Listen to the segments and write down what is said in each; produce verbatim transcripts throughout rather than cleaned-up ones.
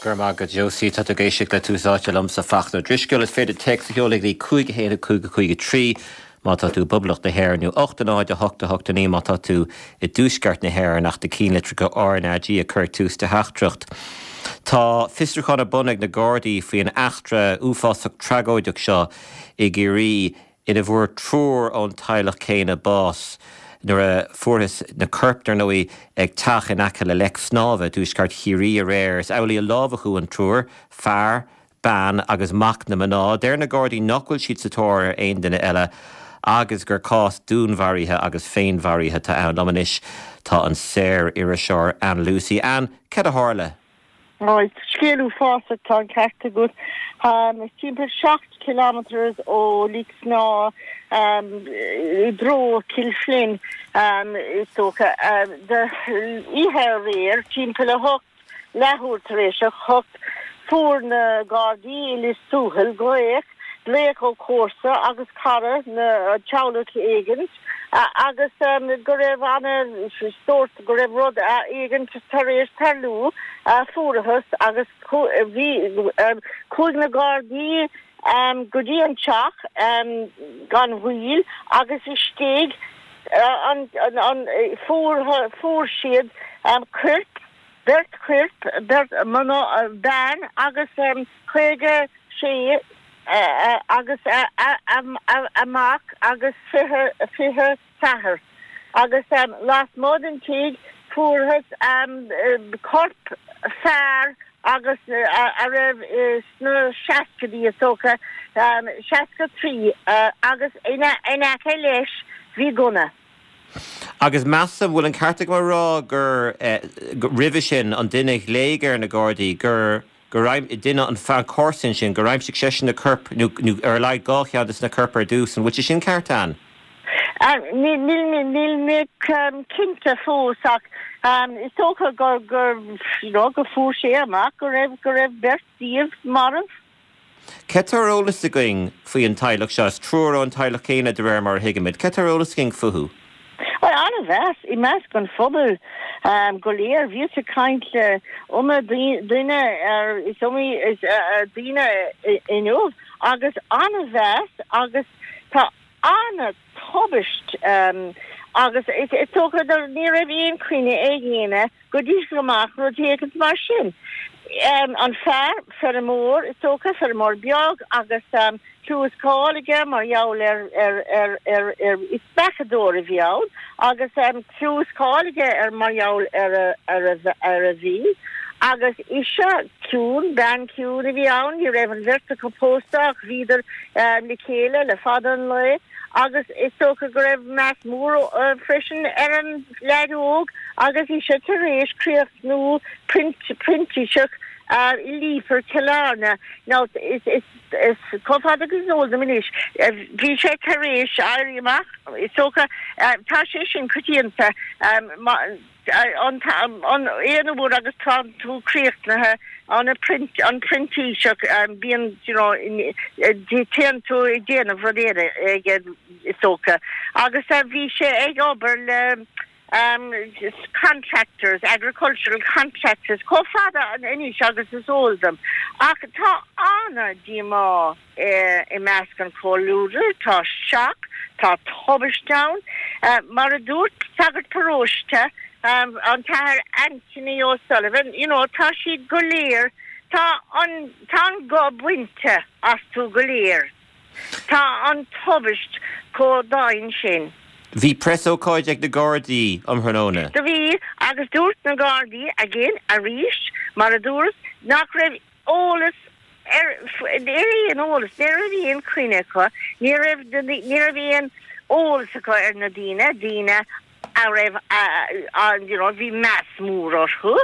Go raibh maith agat Josie tá tú ag éisteacht le Tús Áite liomsa Fachtna Ó Drisceoil is féidir téacs a sheoladh go dtí cúig haon cúig cúig trí má tá tú i bPoblacht na hÉireann nó ocht náid a hocht a hocht naoi má tá tú i dtuaisceart na hÉireann ach do cheannlitreacha RnaG a chur ag tús do theachtaireacht. Tá fiosrúchán ar bun ag na Gardaí faoin eachtra uafásach tragóideach seo i gCiarraí ina bhfuair triúr ón teaghlach céanna bás. nuair a fuarthas na coirp ar ndóigh ag teach in aice le leic snámha tuaisceart Chiarraí aréir is amhlaidh a lámhachadh an triúr, fear, bean agus mac na mná, Deir na Gardaí nach bhfuil siad sa tóir ar aon duine eile agus gur cás dúnmharaithe agus féinmharaithe atá ann liom anois tá an saoririseoir Ann Lucey. Ann, cad a tharla? Right, scéal uafásach tá an ceart agat. Um, timpeall seacht kilometers ó Leic Snámha um, i dtreo Cill Flynn um, is dócha um, oíche aréir timpeall a hocht leathuair tar éis a hocht fuair na Gardaí i Lios Tuathail glaoch glaoch ó chomharsa agus cara na teaghlach éigin agus um, go raibh an sórt go raibh rud éigin tar éis tarlú fuarthas agus bhí um, chuaigh na Gardaí um, go dtí an teach um, gan mhoill agus istigh uh, an, an, an fuair fuair siad um, coirp beirt choirp beirt mná bean agus um, caoga sé uh, agus a, a, a, a mac agus fiche fiche ceathair agus um, lasmuigh den tigh fuarthas um, corp fear agus uh, a raibh uh, sna seascaidí is dócha um, seasca trí uh, agus ina ina aice leis bhí gunna. Agus measaim bhfuil an ceart agam a rá gur eh, roimhe sin an duine glaoigh ar na Gardaí gur gur duine an fear comharsan sin gur aimsigh seisean na coirp nó ar le gá chead na coirp ar dtús an bhfuil sé sin ceart Ann. Níl mé cinnte fós ach um, is dócha gur gur you know, go fuair sé amach go raibh go raibh beirt díobh marbh. Cad tá ar eolas againn faoi an teaghlach seo triúr ón teaghlach céanna de réir mar a thuigimid, Cad tá ar eolas againn fúthu. Well an-mheas i measc an phobal um, go léir bhí ag caint le iomaí duine ar is iomaí is uh, daoine inniu agus an-mheas agus tá an-tubaist um, agus is is dócha ní raibh aon choinne ag éinne go dtí amach rud éigin mar sin. Um, an fear feirmeoir is dócha feirmeoir beag agus um, clú is cáil aige mar gheall ar ar ar ar ar is beachadóir a bhí ann agus um, clú is cáil aige ar mar gheall ar ar ar a bhí. Agus ise ciúin bean ciúin a bhí ann, ní raibh an bheirt acu pósta ach bhíodar um, le chéile le fada an lá agus is dócha go raibh meas mór uh, freisin ar an leaid óg agus í sé tar éis críochnú printíseach uh, i Leifear Cill Airne now is is is chomh fada agus is eol dom anois bhí sé tar éis éirí amach is dócha uh, tá sé sin coitianta um, an an aon uair agus tá tú críochnaithe an print an printíseach um, bíonn you know téann tú ag déanamh rud ag is dócha agus uh, bhí sé ag obair le um, contractors agricultural contractors chomh fada anois agus is eol dom ach tá an-díomá eh, i measc an chomhluadair tá shock tá tubaist ann uh, mar a dúirt sagart paróiste um, an tAthair Anthony O'Sullivan you know tá siad go léir tá an tá an gob bainte astu go léir tá an tubaist chomh dian sin. Bhí preasócáid ag na Gardaí um thráthnóna. Do bhí agus dúirt na Gardaí again arís mar a dúirt nach raibh eolas ar aon eolas ní raibh aon choinne acu ní raibh ní raibh aon eolas acu ar na daoine daoine a raibh an you know, bhí meas mór orthu.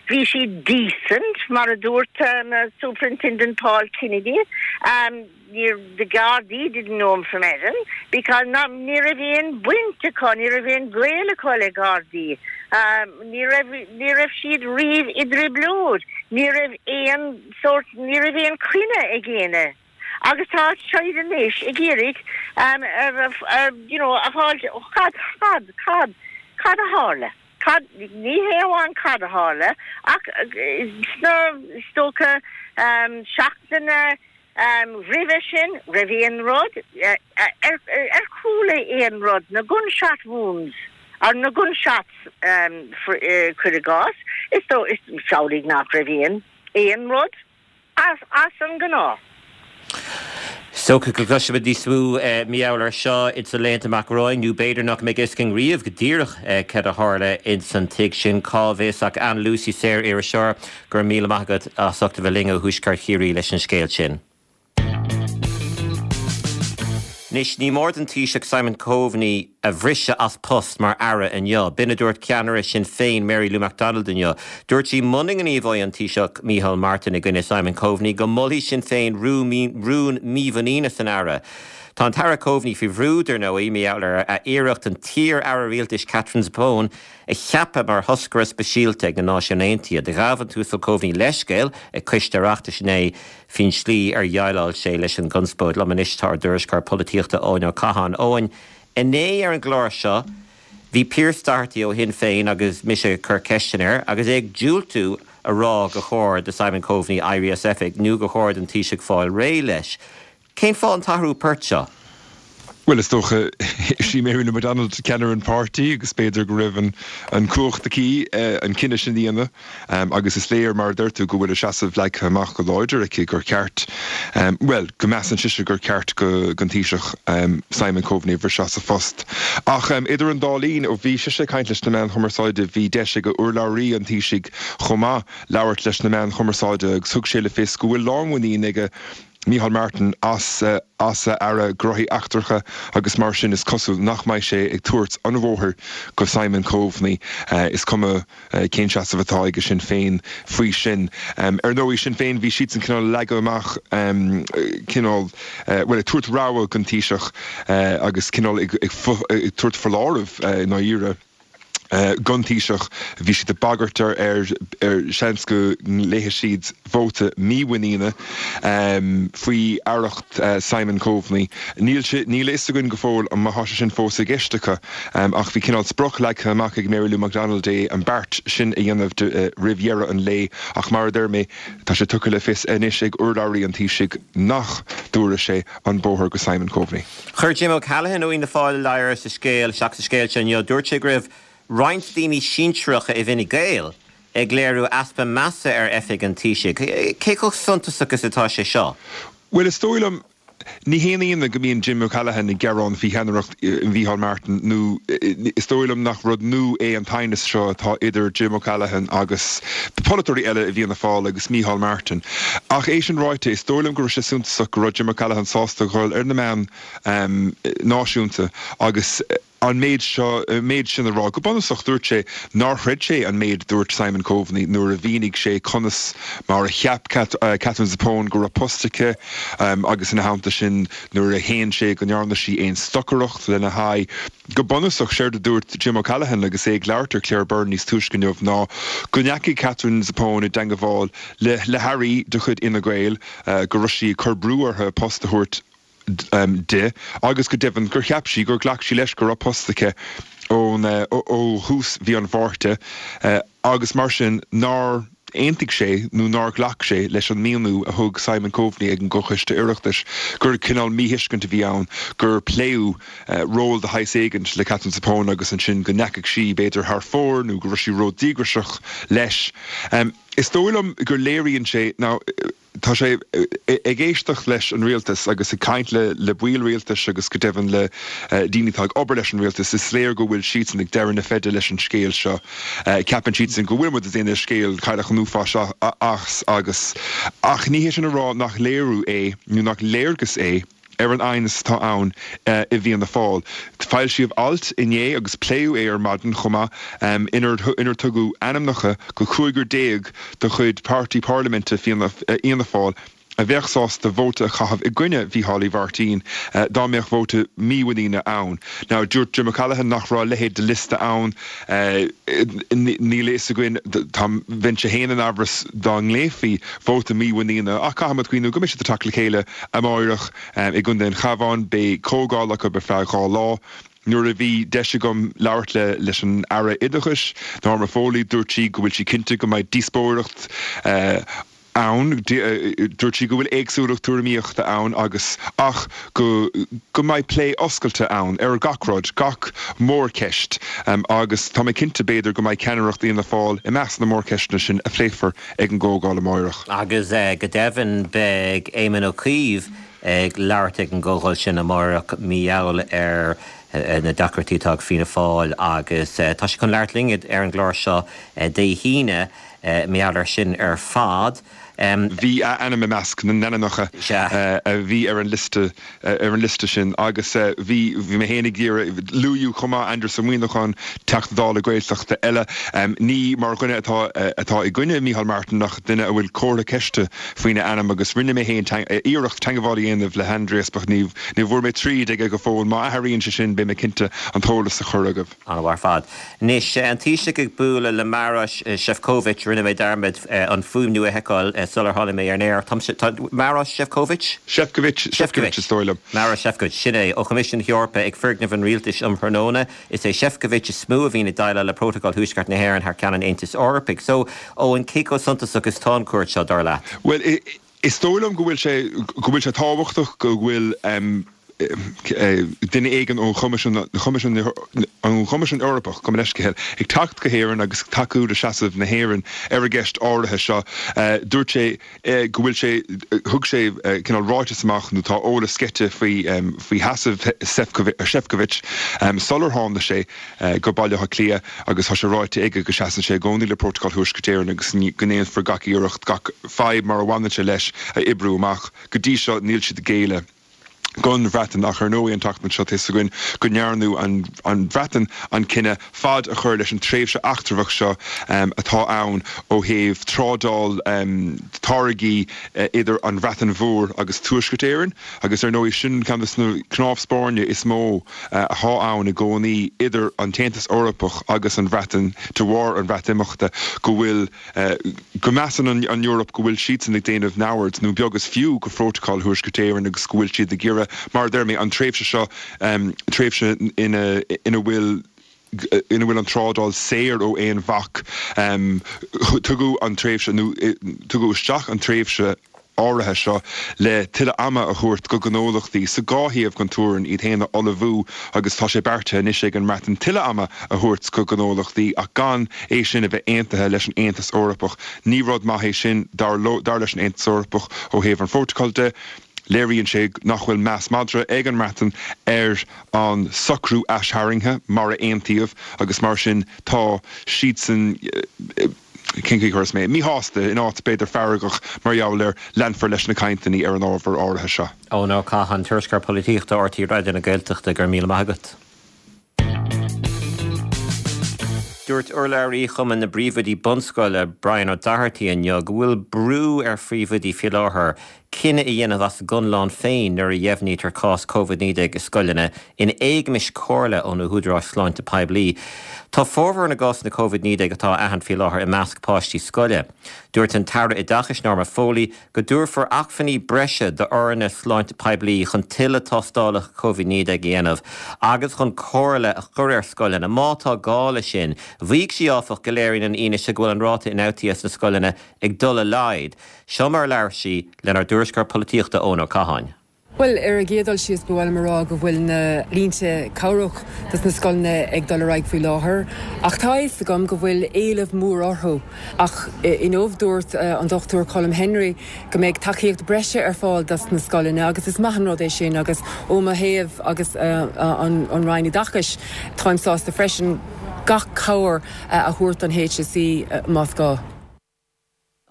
Bhí si decent mar a dúirt um, Superintendent Paul Kennedy. Um, the Gardaí didn't know him from Adam because not ní raibh aon baint acu ní raibh aon ghaol acu le Gardaí. Um, ní raibh siad riamh i dtrioblóid, ní raibh aon sórt ní raibh aon choinne ag éinne. Agus tá siad anois ag iarraidh um, uh, uh, you know, a fháil cad cad cad cad a tharla. Cad, ní hé amháin cad a tharla, ach sna, is dócha, seachtaine roimhe sin, roimh aon rud, ar, ar chuala aon rud, na gunshot wounds, ar na gunshots, cuir i gcás, is dó, is samhlaigh nach raibh aon, aon rud as, as an ngnáth. Is dócha go gcloisfimid níos mó mar gheall air seo ins na laethanta amach romhainn, nó b'fhéidir nach mbeidh fhios againn riamh go díreach céard a tharla ins an tigh sin, cá bhfios ach Ann Lucey, saor-iriseoir, go raibh míle maith agat as ucht a bheith linn ó Thuaisceart Chiarraí leis an scéal sin. Anois, ní mór don Taoiseach Simon Coveney a bhriseadh as post mar aire inniu. B'in a dúirt ceannaire Sinn Féin Mary Lou McDonald inniu. Dúirt sí muna ngníomhóidh an Taoiseach Micheál Martin i gcoinne Simon Coveney go molfaidh Sinn Féin rún mímhuiníne san aire. Tá an tAire Coveney faoi bhrú dar ndóigh mar gheall ar a iarracht an t-iar-aire rialtais Catherine Zappone a cheapadh mar thoscaire speisialta ag na Náisiúin Aontaithe. Do ghabh an tUasal Coveney leithscéal ag Coiste Oireachtais inné faoin slí ar dhéileáil sé leis an gconspóid. Liom anois tá ár dtuairisceoir polaitíochta Eoin Ó Catháin. Eoin, inné ar an gclár seo bhí Pearse Doherty ó Shinn Féin agus mise ag cur ceisteanna air agus é ag diúltú a rá gur chóir do Simon Coveney éirí as oifig nó gur chóir don Taoiseach fáil réidh leis. Cén fáth an t-athrú poirt seo? Bhuel, is dócha, is í Mary Lou McDonald ceannaire an pháirtí agus b'fhéidir go raibh an an cumhacht aici an cinneadh sin a dhéanamh agus is léir, mar a deir tú, go bhfuil a seasamh leagtha amach go láidir aici gur ceart, bhuel, go measann sise gur ceart go don Taoiseach Simon Coveney a bhriseadh as a phost. Ach idir an dá linn, ó bhí sise ag caint leis na meáin chumarsáide, bhí deis ag urlabhraí an Taoisigh chomh maith labhairt leis na meáin chumarsáide agus thug sé le fios go bhfuil lánmhuinín aige Micheál Martin as as a Aire Gnóthaí Eachtracha agus mar sin is cosúil nach mbeidh sé ag tabhairt an bhóthair go Simon Coveney, is cuma cén seasamh atá aige Sinn Féin faoi sin. Ar ndóigh, Sinn Féin, bhí siadsan cineál ag leagadh amach cineál, bhuel, ag tabhairt rabhadh don Taoiseach agus cineál ag tabhairt foláireamh i ndáiríre. don Taoiseach. Bhí siad ag bagairt ar ar seans go nglaofaidh siad vóta mímhuiníne faoi aireacht Simon Coveney. Níl sé, níl a fhios againn go fóill an má tá sé sin fós i gceist acu ach bhí cineál sprioc leagtha amach ag Mary Lou McDonald é an beart sin a dhéanamh roimh dheireadh an lae ach mar a deir mé, tá sé tugtha le fios anois ag urlabhraí an Taoisigh nach dtabharfaidh sé an bóthar go Simon Coveney. Chuir Jim O'Callaghan ó Fhianna Fáil ladhar sa scéal, isteach sa scéal seo inniu. Dúirt sé go raibh roinnt daoine sinsearacha i bhFine Gael ag léiriú easpa measa ar oifig an Taoisigh. Cé chomh suntasach is atá sé seo? Bhuel, is dóigh liom, ní haon ionadh go mbíonn Jim O'Callaghan ag gearán faoi cheannaireacht Mhícheál Martin nó is dóigh liom nach rud nua é an t-aighneas seo atá idir Jim O'Callaghan agus polaiteoirí eile i bhFianna Fáil agus Mícheál Martin. Ach é sin ráite, is dóigh liom go raibh sé suntasach go raibh Jim O'Callaghan sásta dhul ar na meáin náisiúnta agus an méid seo, an méid sin a rá. Go bunúsach, dúirt sé nár chreid sé an méid a dúirt Simon Coveney nuair a mhínigh sé conas mar a cheap Katherine Zappone go raibh post aici agus ina theannta sin nuair a shéan sé go ndearna sí aon stocaireacht lena haghaidh. Go bunúsach, séard a dúirt Jim O'Callaghan agus é ag labhairt ar Claire Byrne níos túisce inniu ná go ndeachaigh Katherine Zappone i dteangabháil le le hairí de chuid Fhine Gael, go raibh sí ag cur brú orthu post a thabhairt di agus go deimhin gur cheap sí gur ghlac sí leis go raibh post aici ón ó thús mhí an Mhárta agus mar sin nár aontaigh sé nó nár ghlac sé leis an míniú a thug Simon Coveney ag an gComhchoiste Oireachtais gur cineál míthuiscint a bhí ann gur pléadh ról de shaghas éigint le Katherine Zappone agus ansin go ndeachaigh sí b'fhéidir thar fóir nó go raibh sí ródhíograiseach leis. Is dóigh liom gur léiríonn sé now Tá sé ag éisteacht leis an rialtas agus ag caint le baill rialtais agus go deimhin le daoine atá ag obair leis an rialtas, is léir go bhfuil siadsan ag deireadh na feide leis an scéal seo. Ceapann siadsan go bhfuil muid ag déanamh scéal cailleach an uafáis as agus ach ní hé sin a rá nach léiriú é nó nach léargas é ar an aighneas atá ann i bhFianna Fáil. Foilsíodh alt inné agus pléadh é ar maidin chomh maith inar inar tugadh ainmneacha go cúigear déag de chuid páirtí parlaiminte Fhianna Fáil a bheadh sásta vóta a chaitheamh i gcoinne Mhícheál Uí Mhairtín dá mbeadh vóta mímhuiníne ann. Now dúirt Jim O'Callaghan nach raibh a leithéid de liosta ann. Níl a fhios againn, tá, bheinnse féin in amhras dá nglaofaí vóta mímhuiníne ach caithfimid cuimhniú go mbeidh siad ag teacht le chéile amáireach i gContae an Chabháin. Beidh comhdháil acu ar feadh dhá lá. Nuair a bhí deis agam labhairt le leis an Aire Oideachais, Norma Foley, dúirt sí go bhfuil sí cinnte go mbeidh díospóireacht ann. Dúirt sí go bhfuil éagsúlacht tuairimíochta ann agus ach go go mbeidh plé oscailte ann ar gach rud, gach mórcheist agus tá mé cinnte b'fhéidir go mbeidh ceannaireacht Fhianna Fáil i measc na mórcheisteanna sin a phléifear ag an gcomhdháil amárach. Agus go deimhin beidh Éamon Ó Cuív ag labhairt ag an gcomhdháil sin amárach mar gheall ar na deacrachtaí atá ag Fianna Fáil agus tá sé chun labhairt linn ar an gclár seo Dé hAoine mar gheall air sin ar fad. Bhí a ainm i measc na n-ainmneacha a bhí ar an liosta ar an liosta sin agus bhí bhí mé féin ag iarraidh luadh chomh maith Aindrias Ó Muimhneacháin, Teachta Dála Gaeltachta eile, ní mar dhuine atá atá i gcoinne Micheál Martin ach duine a bhfuil comhartha ceiste faoina ainm agus rinne mé féin iarracht teagmháil a dhéanamh le hAindrias ach ní ní bhfuair mé tríd aige go fóill. Má athraíonn sé sin beidh mé cinnte an t-eolas a chur agaibh. An-mhaith ar fad. Anois, an Taoiseach ag bualadh le Marois Sefcovic, rinne mé dearmad an fuaimniú a sheiceáil sular tháinig mé ar an aer. Marois Sefcovic? Sefcovic, Sefcovic is dóigh liom. Marois Sefcovic, sin é, ó Choimisiún na hEorpa ag foirgneamh an Rialtais um thráthnóna. Is é Sefcovic is mó a bhíonn ag déileáil le Prótacal Thuaisceart na hÉireann thar ceann an Aontais Eorpaigh. So, Eoin, cé chomh suntasach is atá an cuairt seo, dar leat? Bhuel, is dóigh liom go bhfuil sé go bhfuil sé tábhachtach go bhfuil duine éigin ón Choimisiún ón Choimisiún Eorpach, gabh mo leithscéal, ag teacht go hÉirinn agus tacú le seasamh na hÉireann ar an gceist áirithe seo. Dúirt sé go bhfuil sé, thug sé cineál ráiteas amach nó tá eolas sceite faoi faoi sheasamh Sefcovic sular tháinig sé go Baile Átha Cliath agus tá sé ráite aige go seasann sé i gcónaí le Prótacal Thuaisceart Éireann agus go ndéanfar gach iarracht gach fadhb mar a bhaineann sé leis a oibriú amach. Go dtí seo níl siad ag géilleadh don Bhreatain ach ar ndóigh an tseachtain seo tá a fhios againn go ndearnadh an an Bhreatain an cinneadh fad a chur leis an tréimhse eachtrach seo atá ann ó thaobh trádáil táirgí idir an Bhreatain Mhór agus Tuaisceart Éireann agus ar ndóigh sin ceann de na cnámh spairne is mó atá ann i gcónaí idir an tAontas Eorpach agus an Bhreatain de bharr an Bhreatimeachta go bhfuil go measann an an Eoraip go bhfuil siadsan ag déanamh neamhaird nó beag is fiú de Phrótacal Thuaisceart Éireann agus go bhfuil siad ag iarraidh mar a deir mé an tréimhse seo tréimhse ina ina bhfuil ina bhfuil an trádáil saor ó aon bhac. Tugadh an tréimhse nó tugadh isteach an tréimhse áirithe seo le tuilleadh ama a thabhairt go gnólachtaí sa dhá thaobh den teorainn iad féin a ullmhú agus tá sé beartaithe anois ag an mBreatain tuilleadh ama a thabhairt go gnólachtaí ach gan é sin a bheith aontaithe leis an Aontas Eorpach. Ní rud maith é sin dar dar leis an Aontas Eorpach ó thaobh an phrótacail de. Léiríonn sé nach bhfuil meas madra ag an mBreatain ar an socrú aistharraingthe mar a aontaíodh agus mar sin tá siadsan cén chaoi a chuirfeas mé, míshásta, in áit b'fhéidir feargach mar gheall air. Leanfar leis na cainteanna ar an ábhar áirithe seo. Eoin Ó Catháin, Tuairisceoir Polaitíochta RTÉ Raidió na Gaeltachta, go raibh míle maith agat. Dúirt urlabhraí Chumann na bPríomhoidí Bunscoile, Brian O'Doherty inniu go bhfuil brú ar phríomhoidí faoi láthair cinneadh a dhéanamh as a gconlán féin nuair a dheimhnítear cás Covid naoi déag i scoileanna, in éagmais comhairle ó na húdaráis sláinte poiblí. Tá formhór na gcásanna Covid naoi déag atá á aithint faoi láthair i measc páistí scoile. Dúirt an tAire Oideachais Norma Foley go dtabharfar acmhainní breise d'fhoirne sláinte poiblí chun tuilleadh tástálacha Covid naoi déag a dhéanamh agus chun comhairle a chur ar scoileanna má tá gá leis sin. Mhaígh sí, áfach, go léiríonn an fhianaise go bhfuil an ráta ionfhabhtaithe sna scoileanna ag dul i laghad. Seo mar a labhair sí lenár dtuairisceoir polaitíochta Eoin Ó Catháin. Bhuel, ar an gcéad dul síos, ba mhaith liom a rá go bhfuil na línte cabhrach dos na scoileanna ag dul ar aghaidh faoi láthair, ach tá a fhios agam go bhfuil éileamh mór orthu. Ach inniu dúirt an Dochtúir Colm Henry go mbeidh tacaíocht breise ar fáil dos na scoileanna agus is maith an rud é sin agus ó mo thaobh agus an Roinn Oideachais táim sásta freisin gach cabhair a thabhairt don HSE más gá.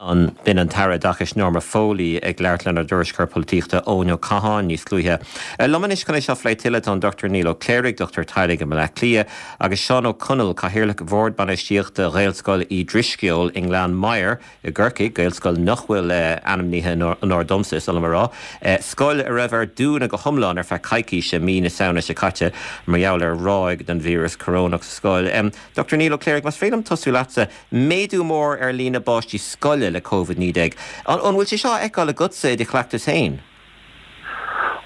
B'in an tAire Oideachais Norma Foley ag labhairt lenár dtuairisceoir polaitíochta Eoin Ó Catháin níos luaithe. Liom anois chun é seo a phlé tuilleadh tá an Dochtúir Niall Ó Cléirigh, dochtúir teaghlaigh i mBaile Átha Cliath, agus Seán Ó Conaill, Cathaoirleach Bhord Bainistíochta Ghaelscoil Uí Drisceoil i nGleann Maghair i gCorcaigh, Gaelscoil nach bhfuil ainmnithe in onóir domsa, is oth liom a rá. Scoil a raibh ar dúnadh go hiomlán ar feadh coicíse mí na Samhna seo caite mar gheall ar ráig den víreas corónach sa scoil. Dochtúir Niall Ó Cléirigh, más féidir liom tosú leatsa, méadú mór ar líon na bpáistí scoile le Covid naoi déag. An bhfuil sé seo á fheiceáil agatsa i do chleachtas féin?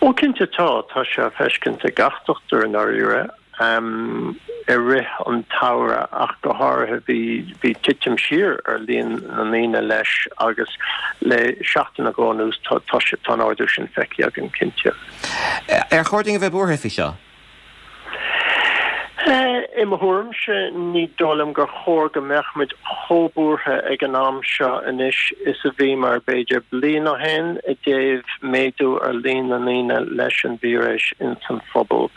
Ó cinnte tá, tá sé á feiscint ag gach dochtúir i ndáiríre. i rith an tsamhraidh ach go háirithe bhí bhí titim siar ar líon na ndaoine leis agus le seachtain nó dhó anuas tá tá tá an ardú sin feicthe againn cinnte. Ar chóir dúinn a bheith buartha faoi seo? I mo thuairimse ní dóigh liom gur chóir go mbeadh muid chomh buartha ag an am seo anois is a bhíomar b'fhéidir bliain ó shin i dtaobh méadú ar líon na ndaoine leis an víreas ins an phobal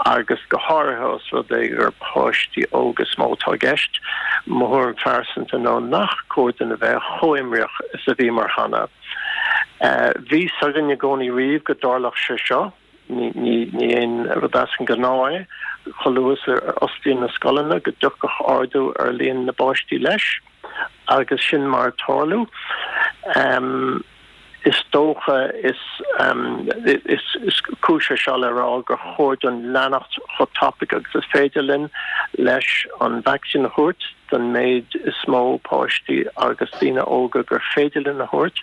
agus go háirithe os rud é gur páistí óga is mó atá i gceist. Mo thuairim phearsanta ná nach cóir dúinn a bheith chomh imníoch is a bhíomar cheana. Bhí fhios againn i gcónaí riamh go dtarlódh sé seo. Ní ní aon rud as an ngnáth é chomh luath is a osclaíonn na scoileanna go dtiocfadh ardú ar líon na bpáistí leis agus sin mar a tharla. Is dócha is is cúis é seo le rá gur chóir dúinn leanacht chomh tapaidh agus is féidir linn leis an vacsaín a thabhairt don méid is mó páistí agus daoine óga gur féidir linn a thabhairt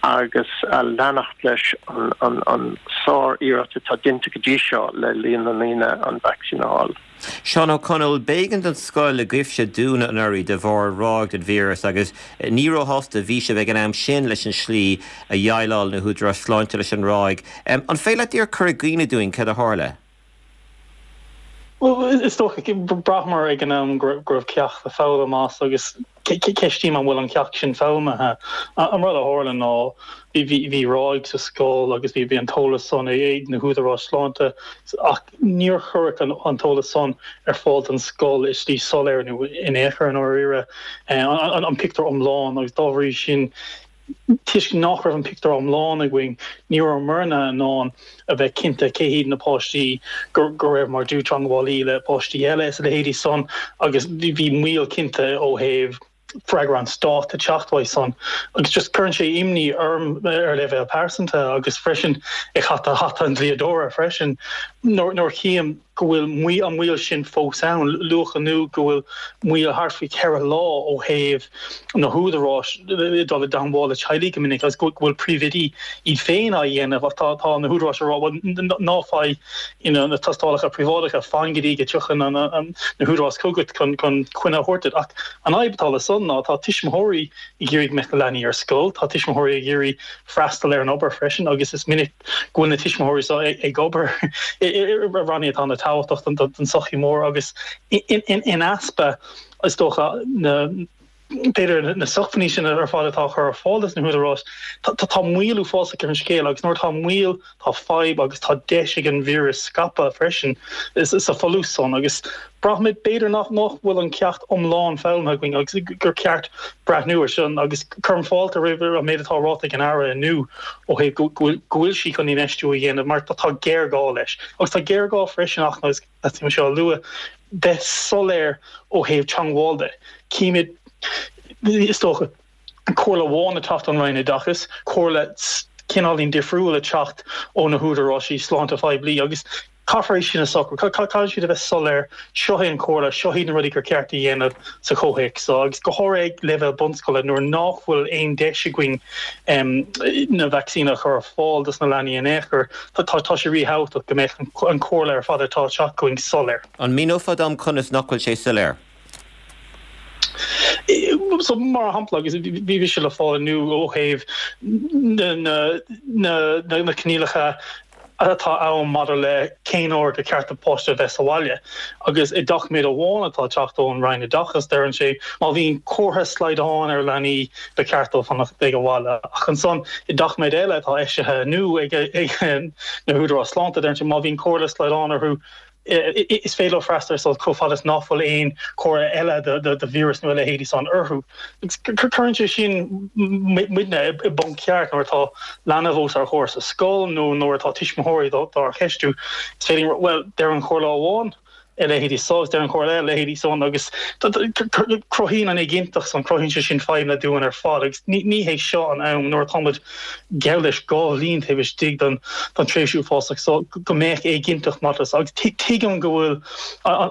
agus leanacht leis an an an sár-iarracht atá déanta go dtí seo le líon na ndaoine an vacsaín a fháil. Seán Ó Conaill, b'éigean don scoil i gCoibhse dúnadh anuraidh de bharr ráig den víreas agus ní róshásta a bhí sibh ag an am sin leis an slí a dhéileáil na húdaráis sláinte leis an ráig. An féidir leat díreach cur i gcuimhne dúinn céard a tharla? Bhuel, is dócha, bhraitheamar ag an am go raibh ceacht le foghlaim as agus ceistím an bhfuil an ceacht sin foghlamtha. An rud a tharla ná bhí ráig sa scoil agus bhí an t-eolas san ag na húdaráis sláinte ach níor cuireadh an t-eolas san ar fáil don scoil i slí soiléir nó in aon chor i ndáiríre an pictiúr iomlán agus dá bhrí sin Toisc nach raibh an pictiúr iomlán againn, ní rabhamarna in ann a bheith cinnte cé hiad na páistí go raibh mar dlúth-teagmhálaí le páistí eile is a leithéidí san agus bhí moill cinnte ó thaobh freagra an Stáit a teacht uaidh san agus just cuireann sé imní orm ar leibhéal pearsanta agus freisin ag hata hata an dlíodóra freisin nuair a chím go bhfuil moill an mhoill sin fós ann. Luadh inniu go bhfuil moill thart faoi cheithre lá ó thaobh na húdaráis dul i dteangmháil le teaghlaigh go minic agus go bhfuil príomhoidí iad féin á dhéanamh ach tá tá na húdaráis ag rá bhuel ná faigh you know na tástálacha príobháideacha, fan go dtí go dtiocfaidh na húdaráis chugat chun chun coinne a thabhairt duit. Ach an fhadhb atá le san ná tá tuismitheoirí ag iarraidh go mbeadh na leanaí ar scoil, tá tuismitheoirí ag iarraidh freastal ar an obair freisin agus is minic go bhfuil na tuismitheoirí seo ag obair i rannaí atá an-tábhachtach don tsochaí mór agus in easpa is dócha na b'fhéidir na sócmhainní sin ar fad atá á chur ar fáil dos na húdaráis, tá moill uafásach ar an scéal agus nuair atá moill tá fadhb agus tá deis ag an víreas scaipeadh freisin sa folús san agus Braithimid, b'fhéidir, nach bhfuil an ceacht iomlán foghlamtha againn agus gur ceart breathnú air sin agus cuirim fáilte roimh an méid atá ráite ag an Aire inniu ó thaobh go bhfuil sí chun infheistiú a dhéanamh mar tá géarghá leis. Agus tá géarghá freisin ach, agus teastaíonn seo a lua, bheith soiléir ó thaobh teangmháil de. Címid, is dócha, comhairle amháin ag teacht ón Roinn Oideachais, comhairle cineáilín difriúil ag teacht ó na húdaráis sláinte phoiblí agus caithfear é sin a shocrú. Caithfidh siad a bheith soiléir, seo é an chomhairle, seo iad na rudaí gur ceart a dhéanamh sa chomhthéacs seo agus go háirithe ag leibhéal bunscoile nuair nach bhfuil aon deis againn na vacsaíní a chur ar fáil dos na leanaí in aon chor, tá sé ríthábhachtach go mbeadh an chomhairle ar fad atá ag teacht chugainn soiléir. An míneofá dom conas nach bhfuil sé soiléir? So mar shampla agus bhí sé le fáil inniu ó thaobh na na na coinníollacha atá ann maidir le cén uair gur ceart do pháiste a bheith sa bhaile. Agus i doiciméad amháin atá ag teacht ón Roinn Oideachais deireann sé má bhíonn comhartha slaghdán ar leanaí ba cheart dóibh fanacht ag an bhaile. Ach ansan i doiciméad eile atá eisithe inniu ag na húdaráis sláinte deireann sé má bhíonn comhartha slaghdán orthu is féidir leo freastal ar scoil chomh fada is nach bhfuil aon chomhartha eile de víreas nó a leithéidí san orthu. Cuireann sé sin muidne i bponc ceart nuair atá leanbh os ár gcomhair sa scoil nó nuair atá tuismitheoirí dár cheistiú. Is féidir, bhuel, deir an chomhairle amháin a leithéidí so agus deir an chomhairle eile a leithéidí san agus cruthaíonn an éiginnteacht san, cruthaíonn sé sin fadhbanna dúinn ar fad agus ní hé seo an am nuair atáimid geall leis dhá bhliain taobh istigh den tréimhse uafásach so go mbeadh éiginnteacht maidir leis agus tuigim go bhfuil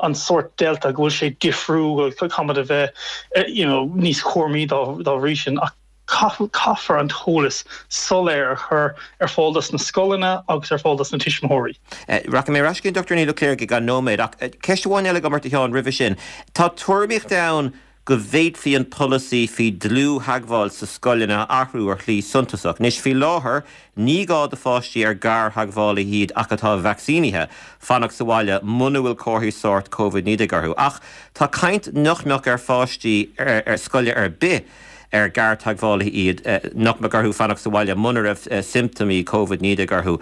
an sórt Delta, go bhfuil sé difriúil, caithfimid a bheith you know níos cúramaí dá bhrí sin ach Caithfear an t-eolas soiléir a chur ar fáil dos na scoileanna agus ar fáil dos na tuismitheoirí. Rachaidh mé ar ais chuig an Dochtúir Niall Ó Cléirigh i gceann nóiméad ach ceist amháin eile agam ort a Sheáin roimhe sin. Tá tuairimíocht ann go bhféadfaí an polasaí faoi dlúth-theagmháil sa scoileanna a athrú ar shlí suntasach. Anois faoi láthair ní gá do pháistí ar gartheagmhálaithe iad ach atá vacsaínithe fanacht sa bhaile muna bhfuil comharthaí sóirt Covid naoi déag orthu. Ach tá caint nach mbeadh ar pháistí ar scoile ar bith ar gartheagmhálaithe iad nach mbeadh orthu fanacht sa bhaile muna raibh siomptómaí Covid naoi déag orthu.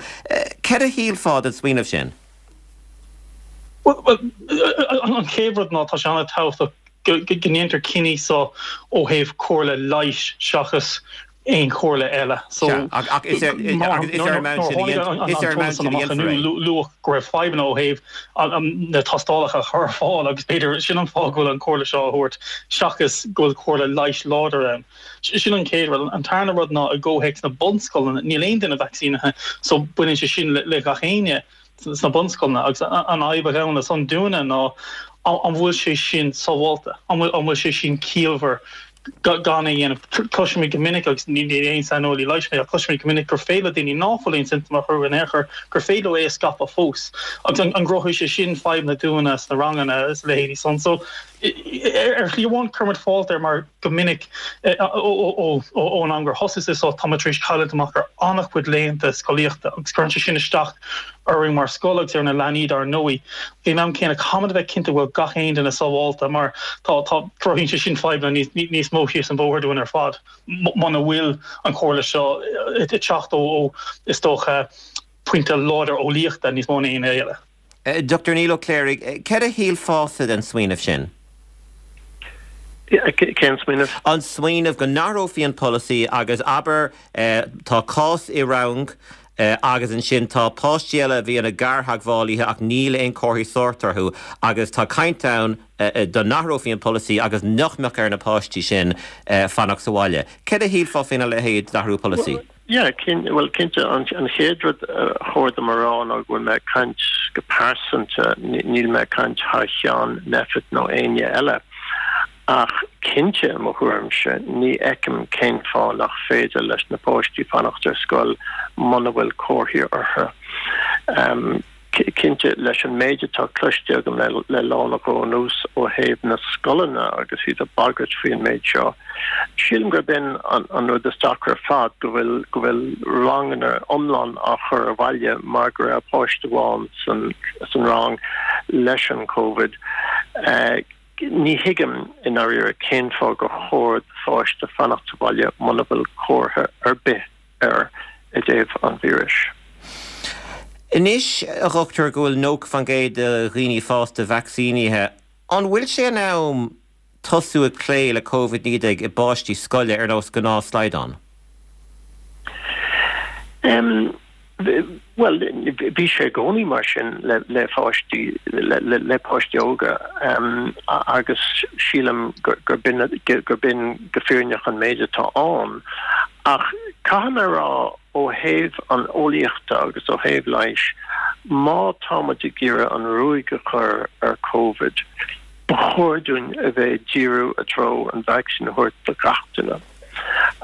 Céard a shílfeá den smaoineamh sin? Bhuel, an chéad rud ná tá sé an-tábhachtach go ndéantar cinní so ó thaobh comhairle leighis seachas aon chomhairle eile. So ach is ar is ar an meán sin a is ar an meán sin a dhéanfar é. Luadh go raibh fadhbanna ó thaobh na tástálacha a chur ar fáil agus b'fhéidir sin an fáth go bhfuil an chomhairle seo á thabhairt seachas go bhfuil comhairle leighis láidir ann. Sin an chéad rud. An tarna rud ná i gcomhthéacs na bunscoileanna níl aon duine vacsaínithe so baineann sé sin le gach éinne. sna bunscoileanna agus an fhadhb a ghabhann le san dúinne ná an bhfuil sé sin sábháilte, an bhfuil sé sin ciallmhar gan é a dhéanamh. Cloisimid go minic, agus ní aon saineolaí leighis mé, ach cloisimid go minic gur féidir le daoine ná fuil aon siomptóim orthu in aon chor, gur féidir leo é a scaipeadh fós. Agus an gcruthóidh sé sin fadhbanna dúinne sna ranganna is a leithéidí san. So ar shlí amháin cuirimid fáilte air mar go minic ón am gur thosaigh sé seo táimid tar éis cailliúint amach ar an-chuid laethanta scolaíochta agus cuireann sé sin isteach orainn mar scoil agus ar na leanaí dar ndóigh. Ag an am céanna caithfimid a bheith cinnte go bhfuil gach aon duine sábháilte mar tá tá cruthaíonn sé sin fadhbanna níos mó síos an bóthar dúinn ar fad muna bhfuil an chomhairle seo ag teacht ó is dócha pointe láidir eolaíochta níos mó ná aon eile. Dochtúir Niall Ó Cléirigh, céard a shílfeása den smaoineamh sin? Cén smaoineamh? An smaoineamh go n-athrófaí an polasaí agus abair tá cás i rang agus ansin tá páistí eile a bhí ina gartheagmhálaithe ach níl aon chomharthaí sóirt orthu agus tá caint ann dá n-athrófaí an polasaí agus nach mbeadh ar na páistí sin fanacht sa bhaile. Céard a shílfeá faoina leithéid d'athrú polasaí? Yeah, bhuel cinnte an chéad rud a chóir dom a rá ná go bhfuil mé ag caint go pearsanta, níl mé ag caint thar cheann Nphet nó éinne eile. Ach cinnte, i mo thuairimse, ní fheicim cén fáth nach féidir leis na páistí fanacht ar scoil muna bhfuil comharthaí orthu. Cinnte, leis an méid atá cloiste agam le lá nó dhó anuas ó thaobh na scoileanna agus iad ag bagairt faoin méid seo, sílim gurb in an rud is deacra ar fad, go bhfuil go bhfuil ranganna iomlán á chur abhaile mar go raibh páiste amháin san rang leis an Covid. Ní thuigim i ndáiríre cén fáth gur chóir do pháiste fanacht sa bhaile muna bhfuil comhartha ar bith air i dtaobh an víris. Anois, a dhochtúir, go bhfuil nócha faoin gcéad de dhaoine fásta vacsaínithe, an bhfuil sé in am tosú ag plé le Covid naoi déag i bpáistí scoile ar nós gnáth slaghdán? Bhuel, bhí sé i gcónaí mar sin le pháistí, le páistí óga agus sílim gurb in go fírinneach an méid atá ann. Ach caithfidh mé a rá ó thaobh an eolaíochta agus ó thaobh leighis, má tá muid ag iarraidh an ruaig a chur ar Covid, ba chóir dúinn a bheith ag díriú i dtreo an vacsaín a thabhairt do gach duine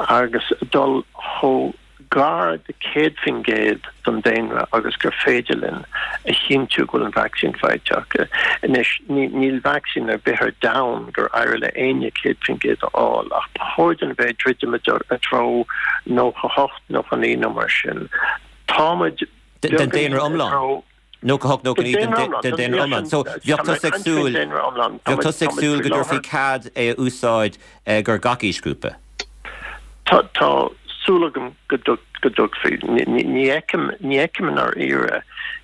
agus dul chomh gar do céad faoin gcéad den daonra agus gur féidir linn a chinntiú go bhfuil an vacsaín faighte acu. Anois, níl vacsaín ar bith ar domhan gur éirigh le éinne céad faoin gcéad a fháil, ach ba chóir dúinn a bheith ag druidim i dtreo nócha hocht, nócha naoi nó mar sin. Táimid Den daonra iomlán? nócha hocht, nócha naoi den daonra iomlán. So, bheadh tusa ag súil, bheadh tusa ag súil go dtabharfaí cead é a úsáid gur gach aoisghrúpa? Tá, tá súil agam go dtugfaí. Ní fheicim, ní fheicim i ndáiríre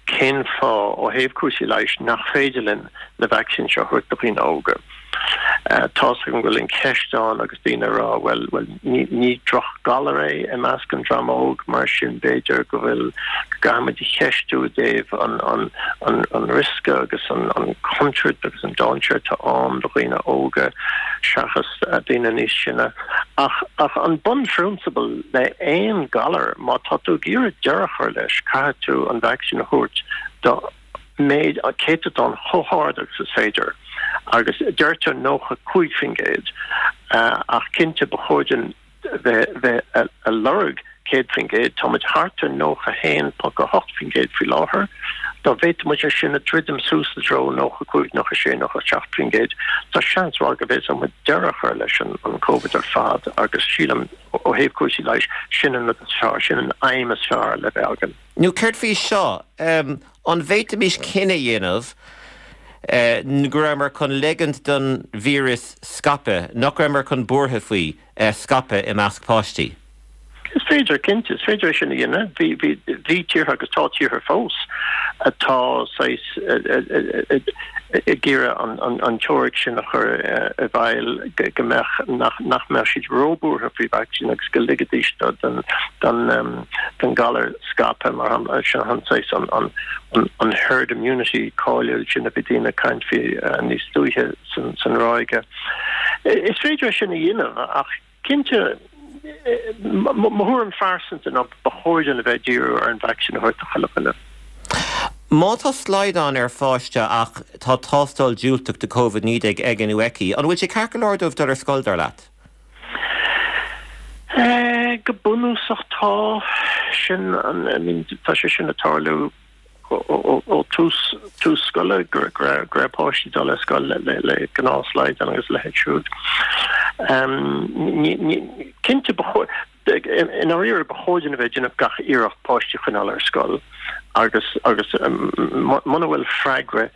cén fáth, ó thaobh cúrsaí leighis, nach féidir linn na vacsaíní seo a thabhairt do dhaoine óga. Tá's agam go bhfuil an cheist ann agus daoine ag rá, bhuel, bhuel, ní, ní drochghalar é i measc an dream óg, mar sin b'fhéidir go bhfuil, go gcaithfimid a cheistiú i dtaobh an, an, an, an riosca agus an, an chontúirt agus an dainséar atá ann do dhaoine óga seachas daoine níos sine. Ach, ach an bunphrionsabal le aon galar, má tá tú ag iarraidh deireadh a chur leis, caithfidh tú an vacsaín a thabhairt do méid, céatadán chomh hard agus is féidir, agus deirtear nócha cúig faoin gcéad, ach cinnte ba chóir dúinn bheith bheith ag lorg céad faoin gcéad, táimid thart ar nócha haon ponc a hocht faoin gcéad faoi láthair. Dá bhféadfadh muid é sin a dhruidim suas i dtreo nócha cúig, nócha sé, nócha seacht faoin gcéad, tá seans mhaith go bhféadfadh muid deireadh a chur leis an an Covid ar fad agus sílim ó thaobh cúrsaí leighis, sin an rud is fearr, sin an aidhm is fearr le bheith againn. Nó céard faoi seo, an bhféadfaimis cinneadh a dhéanamh go rabhamar chun leigint don víreas scaipeadh, nach rabhamar chun buartha faoi, scaipeadh i measc páistí? Is féidir, cinnte, is féidir é sin a dhéanamh. Bhí, bhí, bhí tíortha agus tá tíortha fós atá saghas ag iarraidh an, an, an teoiric sin a chur i bhfeighil go, go mbeadh, nach, nach mbeadh siad róbhuartha faoi vacsaín agus go ligfidís do, don, don, don galar scaipeadh mar shampla, sin an saghas an, an, an, an herd immunity cáiliúil sin a bhí daoine ag caint faoi níos luaithe san, san ráige. Is féidir é sin a dhéanamh ach cinnte, Mo thuairim phearsanta ná ba chóir dúinn a bheith ag díriú ar an vacsaín a thabhairt do chuile dhuine. Má tá slaghdán ar pháiste ach tá tástáil diúltach do Covid naoi déag aige nó aici, an bhfuil sé ceart go leor dóibh dul ar scoil, dar leat? Go bunúsach tá. Sin an, I mean, tá sé sin ag tarlú ó tús tús scoile go raibh go raibh páistí dul ar scoil le le le gnáthshlaghdán agus a leithéid siúd. Cinnte ba chóir i ndáiríre ba chóir dúinn a bheith ag déanamh gach iarracht páistí a choinneáil ar scoil agus agus muna bhfuil freagra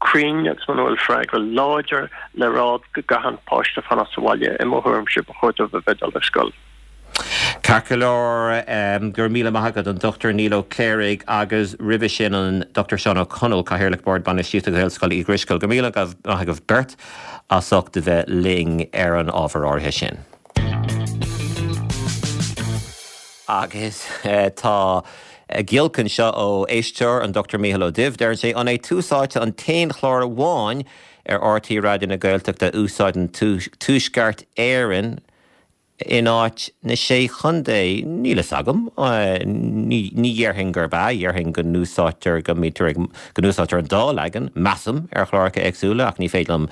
cruinn agus muna bhfuil freagra láidir le rá go gcaithfidh an páiste fanacht sa bhaile, i mo thuairimse ba chóir dóibh a bheith ag dul ar scoil. Ceart go leor, go raibh míle maith agat, an Dochtúir Niall Ó Cléirigh agus roimhe sin an Dochtúir Seán Ó Conaill, Cathaoirleach Bord Bainistíochta Ghaelscoil Uí Dhrisceoil. Go raibh míle maith agaibh beirt as ucht a bheith linn ar an ábhar áirithe sin. Agus tá giolc anseo ó éisteoir, an Dochtúir Mícheál Ó Duibh. Deireann sé, An é Tús Áite an t-aon chlár amháin ar R T Raidió na Gaeltachta a úsáideann Tuaisceart Éireann in áit na Sé Chontae? Níl fhios agam. Ní dhéarfainn gurb ea. Dhéarfainn go n-úsáidtear, go mbítear ag, go n-úsáidtear an dá leagan, measaim, ar chláracha éagsúla ach ní féidir liom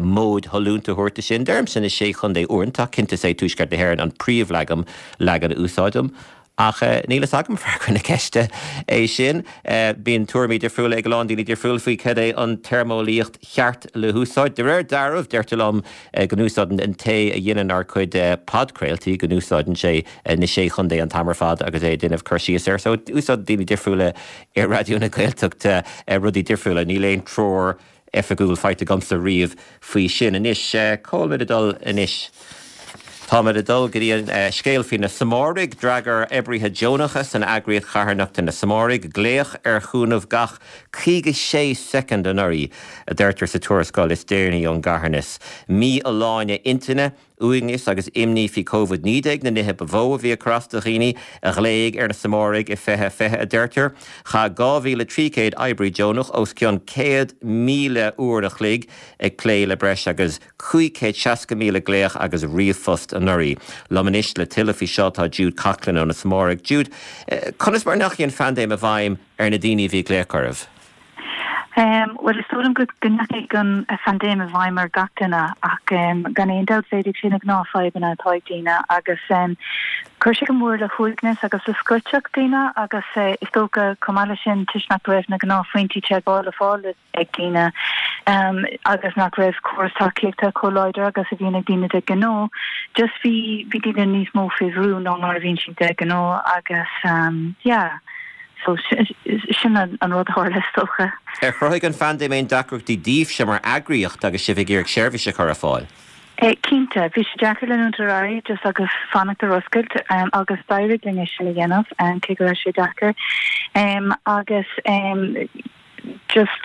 móid shollúnta a thabhairt de sin. Deirimse na Sé Chontae uaireanta ach cinnte is é Tuaisceart na hÉireann an príomhleagan, leagan a úsáidim. Ach níl fhios agam, freagra na ceiste é sin. Bíonn tuairimí difriúla ag a lán daoine difriúla faoi cad é an téarmeolaíocht cheart le húsáid. De réir dealraimh, deirtear liom go n-úsáideann an té a dhéanann ár gcuid podchraoltaí, go n-úsáideann sé na Sé Chontae an t-am ar fad agus é ag déanamh cur síos air. So, úsáideann daoine difriúla i Raidió na Gaeltachta rudaí difriúla. Níl aon treoir oifigiúil faighte agamsa riamh faoi sin. Anois, cá bhfuil muid ag dul anois? Táimid ag dul go dtí an scéal faoi na Samáraigh. D'fhreagair oibrithe deonacha san eagraíocht charthanachta Na Samáraigh glaoch ar chúnamh gach caoga sé soicind anuraidh, a deirtear sa tuarascáil is deireanaí ón gcarthanas. Mífholláine intinne, uaigneas agus imní faoi Covid naoi déag na nithe ba mhó a bhí ag cur as do dhaoine a ghlaoigh ar na Samáraigh i fiche fiche, a deirtear. Chaith dhá mhíle trí chéad oibrí deonach os cionn céad míle uair a chloig ag plé le breis agus cúig chéad seasca míle glaoch agus ríomhphost anuraidh. Liom anois le tuilleadh faoi seo tá Jude Coughlan ó na Samáraigh. Jude, conas mar a ndeachaigh an phaindéim i bhfeidhm ar na daoine a bhí ag glaoch oraibh? Bhuel, is dóigh liom go ndeachaigh an phaindéim i bhfeidhm ar gach duine ach gan aon dabht mhéadaigh sé na gnáthfhadhbanna atá ag daoine agus chuir sé go mór le huaigneas agus le scoiteacht daoine agus is dócha chomh maith leis sin toisc nach raibh na gnáthphointí teagmhála le fáil ag daoine agus nach raibh córas tacaíochta chomh láidir agus a bhíonn ag daoine de ghnáth. Just bhí bhí daoine níos mó faoi bhrú ná mar a bhíonn siad de ghnáth agus yeah so sin an rud a tharla is dócha. Ar chruthaigh an phaindéim aon deacrachtaí daoibhse mar eagraíocht agus sibh ag iarraidh seirbhís a chur ar fáil? Cinnte, bhí sé deacair leanúint ar aghaidh just agus fanacht ar oscailt agus d'éirigh linn é sin a dhéanamh cé go raibh sé deacair agus just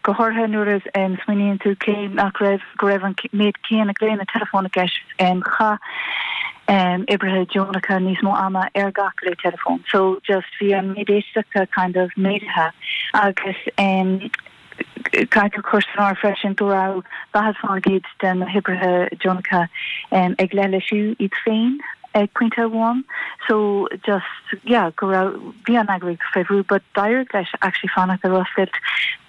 go háirithe nuair a smaoiníonn tú cé nach raibh go raibh an méid céanna glaonna teileafóin i gceist chaith oibrithe deonacha níos mó ama ar gach glao teileafóin so just bhí an méid éisteachta kind of méadaithe agus Caithfidh tú cur san áireamh freisin go raibh daichead faoin gcéad de na hoibrithe deonacha ag leithlisiú iad féin ag pointe amháin so just yeah go raibh bhí an eagraíocht faoi bhrú but d'éirigh leis actually fanacht ar oscailt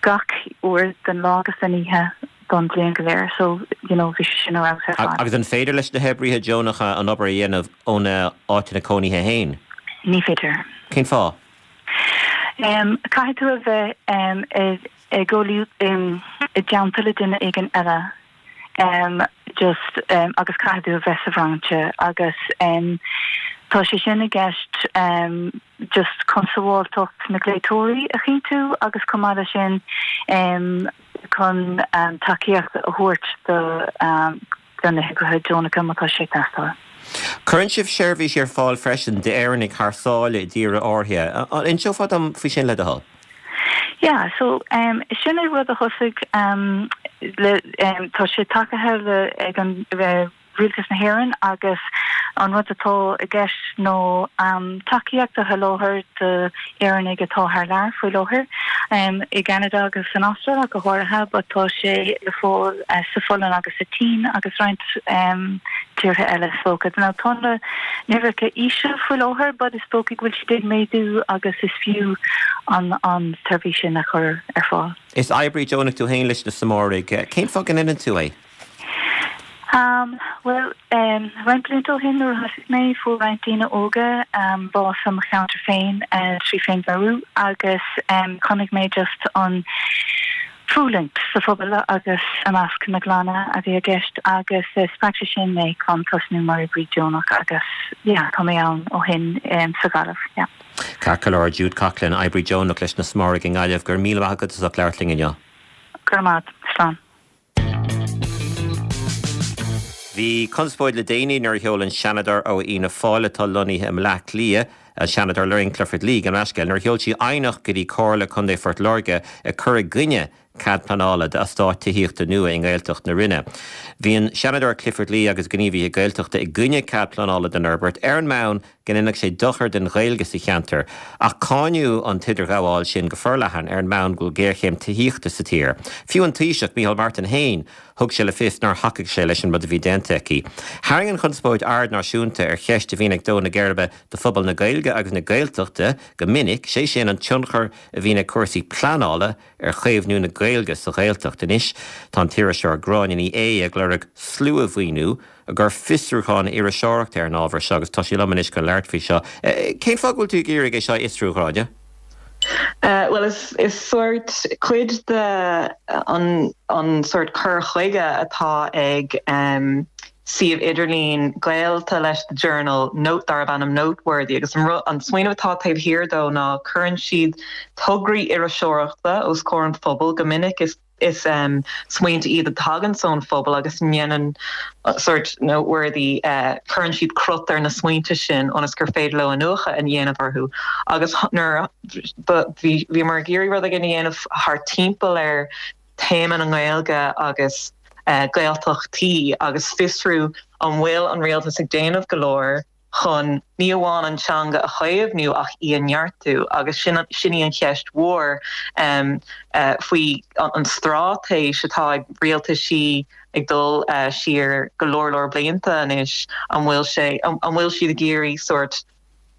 gach uair den lá agus den oíche. don bhliain go léir so you know bhí sé sin ar fheabhas ar fad. Agus an féidir leis na hoibrithe deonacha an obair a dhéanamh óna áiteanna cónaithe féin? Ní féidir. Cén fáth? Um, caithfidh tú a bheith um, ag um, i dteannta le duine éigin eile um, just um, agus caithfidh tú a bheith sa bhrainse agus um, tá sé sin i gceist um, just chun sábháilteacht na glaoiteoirí a chinntiú agus chomh maith leis sin um, chun um, tacaíocht a thabhairt do um, do na hoibrithe deonacha má tá sé ag teastáil. Cuireann sibh seirbhís ar fáil freisin d'Éireannaigh thar sáile i dtíortha áirithe. An inseofá dom faoi sin le do thoil? Yeah, so um, sin é rud a thosaigh um, le um, tá sé tacaithe le ag an uh, Rialtas na hÉireann agus an rud atá i gceist ná um, tacaíocht a sholáthar d'Éireannaigh atá thar lear faoi láthair um, i gCeanada agus san Astráil go háirithe, but tá sé le fáil uh, sa Pholainn agus sa tSín agus roinnt um, tíortha eile is dócha. Now tá na huimhreacha íseal faoi láthair, but is dócha go bhfuil siad ag méadú agus is fiú an an tseirbhís sin a chur ar fáil. Is oibrí deonach tú féin leis na Samáraigh, cén fáth go ndéanann tú é? Um, well, um, roinnt blianta ó shin nuair a thosaigh mé fuair roinnt daoine óga um, bás i mo cheantar féin uh, trí féinmharú agus um, chonaic mé just an fulaingt sa phobal agus i measc na gclanna a bhí i gceist agus uh, spreag sé sin mé chun tosnú mar oibrí deonach agus yeah, tá mé ann ó shin um, sa Ghaillimh. Yeah. Ceart go leor Jude Coughlan oibrí deonach leis na Samáraigh i nGaillimh go raibh míle maith agat as ucht labhairt linn inniu. Go raibh maith, slán. Bhí conspóid le déanaí nuair a sheol an Seanadóir ó Fhianna Fáil atá lonnaithe i mBleá Cliath, an Seanadóir Lorraine Clifford-Lee an rascail, nuair a sheol sí aighneacht go dtí Comhairle Contae Phort Láirge ag cur i gcoinne cead pleanála d'eastát tithíochta nua i nGaeltacht na Rinne. Bhí an Seanadóir Clifford-Lee agus gníomhaithe Gaeltachta i gcoinne cead pleanála don fhorbairt ar an mbonn go ndéanfadh sé dochar don Ghaeilge sa cheantar, ach cáineadh an t-idirghabháil sin go forleathan ar an mbonn go bhfuil géarchéim tithíochta sa tír. Fiú an Taoiseach Micheál Martin féin thug sé le fios nár thacaigh sé leis an rud a bhí déanta aici. Tharraing an chonspóid aird náisiúnta ar cheist a bhíonn ag dó na geirbe do phobal na Gaeilge agus na Gaeltachta go minic, sé sin an tionchar a bhíonn ag cúrsaí pleanála ar chaomhnú na Gaeilge sa Ghaeltacht. Anois tá an t-iriseoir Gráinne Ní Aodha ag lorg sluamhaoiniú i gcomhair fiosrúchán iriseoireachta ar an ábhar seo agus tá sí liom anois chun labhairt faoi seo. Cén fáth go bhfuil tú ag iarraidh é seo a fhiosrú, a Ghráinne? Uh, well is is sort cuid de an an sort cur chuige atá ag um, suíomh idirlín gaolta leis the Journal note darb ainm Noteworthy agus an, an smaoineamh atá taobh thiar dó ná cuireann siad tograí iriseoireachta os comhair an phobail go minic is is um, smaointe iad a thagann ón phobal agus ndéanann uh, sort Noteworthy uh, cuireann siad crot ar na smaointe sin ionas gur féidir leo iniúchadh a dhéanamh orthu agus nuair bhí mar géirí rud a dhéanamh thar timpeall ar téama na Gaeilge agus uh, Gaeltachtaí agus fiosrú an bhfuil an rialtas ag déanamh go leor chun ní amháin an teanga a chaomhnú ach í a neartú agus sin sin í an cheist mhór um, uh, faoi an, an straitéis atá ag rialtaisí ag dul uh, siar go leor leor blianta anois an bhfuil sé an, an bhfuil siad ag iarraidh sort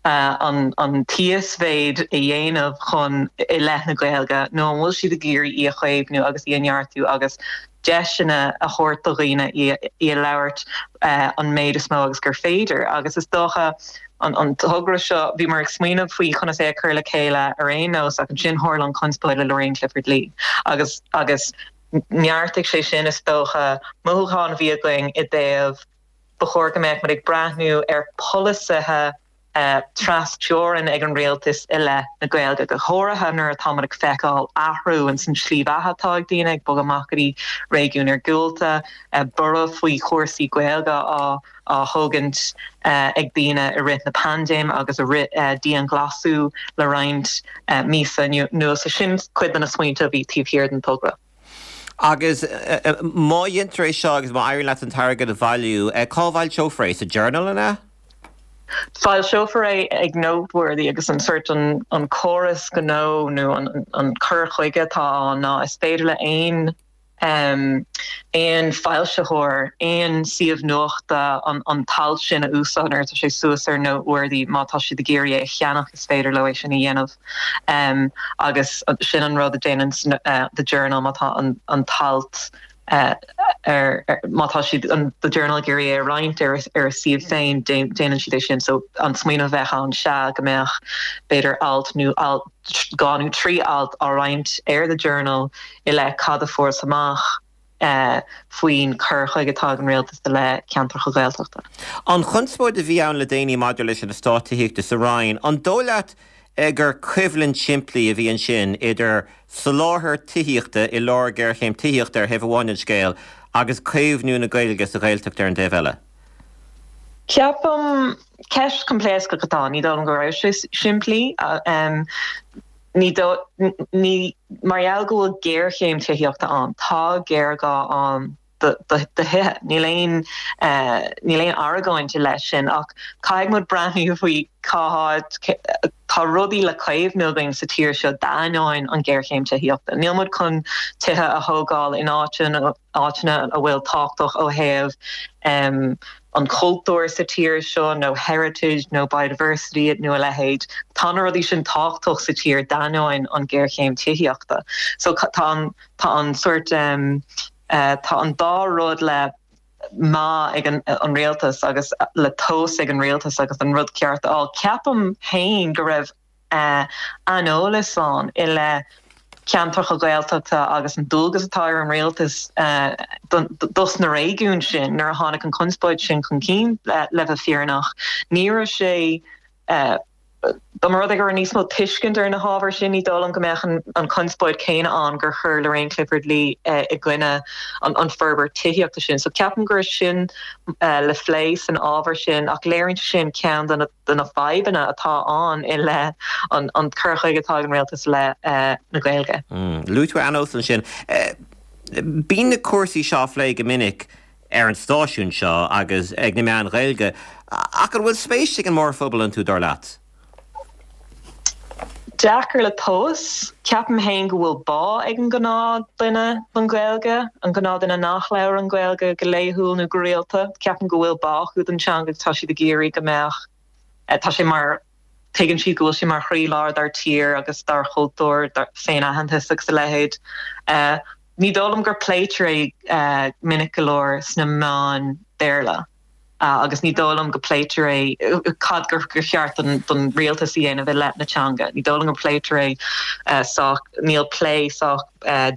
uh, an, an t-íosmhéid a dhéanamh chun i leith na Gaeilge nó an bhfuil siad ag iarraidh í a chaomhnú agus í a neartú agus deiseanna a thabhairt do dhaoine í a labhairt uh, an méid is mó agus gur féidir agus is dócha an, an togra seo bhí mar ag smaoineamh faoi chun é a chur le chéile ar aon nós ach ansin tharla an chonspóid le Lorraine Clifford Lee agus agus neartaigh sé sin is dócha mothúchán a bhí againn i dtaobh ba chóir go mbeadh muid ag breathnú ar polasaithe uh, trasteorann ag an rialtas i leith na Gaeilge go háirithe nuair atá muid ag feiceáil athrú in san slí bheatha atá ag daoine ag bogadh amach go dtí réigiúin iargúlta uh, borradh faoi chúrsaí Gaeilge á á thógaint uh, ag daoine i rith na paindéime agus i rith uh, dianghlasáil le roinnt uh, míosa anuas sin cuid de na smaointe a bhí taobh thiar den togra. Agus má dhéantar é seo agus má éiríonn leat an t-airgead a bhailiú, cá bhfoilseofar é sa Journal an ea? Foilseofar é ag Noteworthy agus an sort an, an córas gnó nó an, an cur chuige atá ná is féidir le aon um, aon foilsitheoir aon suíomh nuachta an, an t-alt sin a úsáid nuair atá sé suas ar Noteworthy má tá siad ag iarraidh é a cheannach is féidir leo é sin a dhéanamh um, agus sin an rud a déanann uh, the Journal má tá an, an t-alt ar má tá siad an The Journal ag iarraidh é a roinnt ar ar a suíomh féin déanann siad é sin so an smaoineamh a bheith ann sea go mbeadh b'fhéidir alt nó alt dhá nó trí alt á roinnt ar The Journal i leith cad a fuarthas amach faoin cur chuige atá ag an rialtas i leith ceantracha Gaeltachta. An chonspóid a bhí ann le déanaí maidir leis an eastát tithíochta sa Rinn, an dóigh leat gur coimhlint simplí a bhí ansin idir soláthar tithíochta i lár géarchéim tithíochta ar thaobh amháin den scéal agus caomhnú na Gaeilge sa Ghaeltacht ar an dtaobh eile? Ceapaim, ceist coimpléascach atá ann, ní dóigh liom go raibh sé simplí. Ní ní mar gheall go bhfuil géarchéim tithíochta ann, tá géarghá ann do thithe. Níl aon níl aon argóint i leith sin ach caithfidh muid breathnú faoi cá háit tá rudaí le caomhnú againn sa tír seo d'ainneoin an ghéarchéim tithíochta. Níl muid chun tithe a thógáil in áiteanna áiteanna a bhfuil tábhachtach ó thaobh an chultúir sa tír seo nó heritage nó biodiversity nó a leithéid. Tá na rudaí sin tábhachtach sa tír d'ainneoin an ghéarchéim tithíochta. So tá an tá an sórt um, uh, tá an dá rud le meá ag an, an rialtas agus le tomhas ag an rialtas agus an rud ceart a fháil. Ceapaim féin go raibh aineolas ann i leith ceantracha Gaeltachta agus an dualgas atá ar an rialtas dos na réigiúin sin nuair a tháinig an chonspóid sin chun cinn le bheith fírinneach. Ní raibh sé dá mba rud é go raibh níos mó tuiscint ar na hábhair sin, ní dóigh liom go mbeadh an chonspóid chéanna ann gur chuir Lorraine Clifford-Lee i gcoinne an forbairt tithíochta sin. So ceapaim go raibh sin le phlé san ábhar sin ach léiríonn sin ceann de na de na fadhbanna atá ann i leith an an cur chuige atá ag an rialtas le na Gaeilge. Luaigh tú aineolas ansin. Bíonn na cúrsaí seo á phlé go minic ar an stáisiún seo agus ag na meáin Ghaeilge, ach an bhfuil spéis ag an mórphobal iontu, dar leat? Deacair le tomhas. Ceapaim féin go bhfuil bá ag an gnáthdhuine don Ghaeilge, an gnáthdhuine nach labhrann Gaeilge go laethúil nó go rialta. Ceapaim go bhfuil bá acu don teanga agus tá siad ag iarraidh go mbeadh, tá sé mar, tuigeann siad go bhfuil sé mar chroílár dár tír agus dár chultúr, dár féin-aitheantas agus a leithéid. Ní dóigh liom gur pléitear é minic go leor sna meáin Béarla. agus ní dóigh liom go pléitear é cad gur gur cheart don don rialtas a dhéanamh i leith na teanga. Ní dóigh liom go pléitear é sách, níl plé sách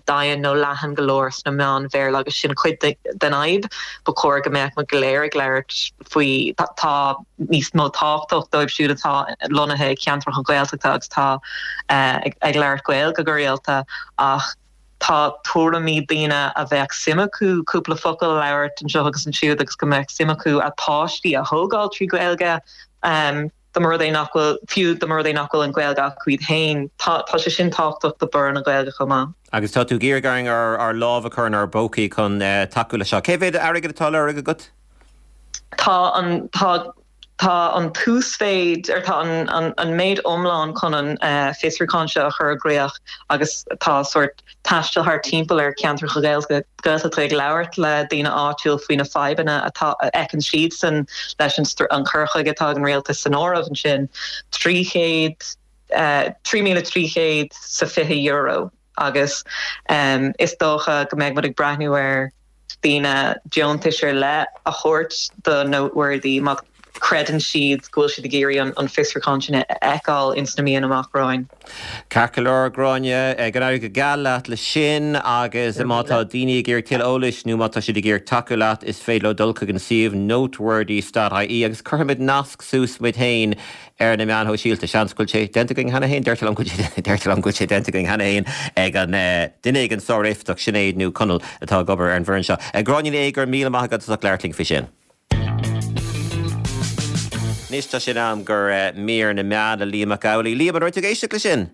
domhain nó leathan go leor sna meáin Bhéarla agus sin cuid den fhadhb. Ba chóir go mbeadh muid go léir ag labhairt faoi tá níos mó tábhachtach dóibh siúd atá lonnaithe i gceantracha Gaeltachta agus tá ag labhairt Gaeilge go rialta ach tá tuairimí daoine a bheadh suim acu cúpla focal a labhairt anseo agus ansiúd agus go mbeadh suim acu a bpáistí a thógáil trí Ghaeilge dá mba rud é nach bhfuil, fiú dá mba rud é nach bhfuil an Ghaeilge acu iad féin. Tá tá sé sin tábhachtach do borradh na Gaeilge chomh maith. Agus tá tú ag iarraidh orainn ár ár lámh a chur inár bpócaí chun tacú leis seo. Cé mhéad airgead atá á lorg agat? Tá an tá Tá an t-uasmhéid, ar tá an an méid iomlán chun an fiosrúchán seo a chur i gcrích agus tá sórt taisteal thart timpeall ar cheantracha Gaeltachta ag labhairt le daoine áitiúil faoi na fadhbanna atá a fheiceann siadsan leis an an cur chuige atá ag an rialtas san áireamh ansin, trí chéad, trí míle trí chéad 's a fiche euro agus is dócha go mbeidh muid ag breathnú ar daoine deontais ar leith a thabhairt do Noteworthy má chreideann siad go bhfuil siad ag iarraidh an fiosrúchán sin a fheiceáil ins na míonna amach romhainn. Ceart go leor, Gráinne, go n-éirí go geal leat leis sin agus má tá daoine ag iarraidh tuilleadh eolais nó má tá siad ag iarraidh tacú leat is féidir leo dul chuig an suíomh noteworthy dot ie agus cuirfimid nasc suas muid féin ar na meáin shóisialta. Seans go bhfuil sé déanta againn cheana féin, deirtear liom go deirtear liom go bhfuil sé déanta againn cheana féin ag an duine éigin sár-éifeachtach, Sinéad nó Conall, atá ag obair ar an bhfoireann seo. Gráinne Ní Aodha, go raibh míle maith agat as ucht labhairt linn faoi sin. Anois tá sé in am gur mír na meán le Liam Mac Amhlaigh. Liam, an raibh tú ag éisteacht leis sin?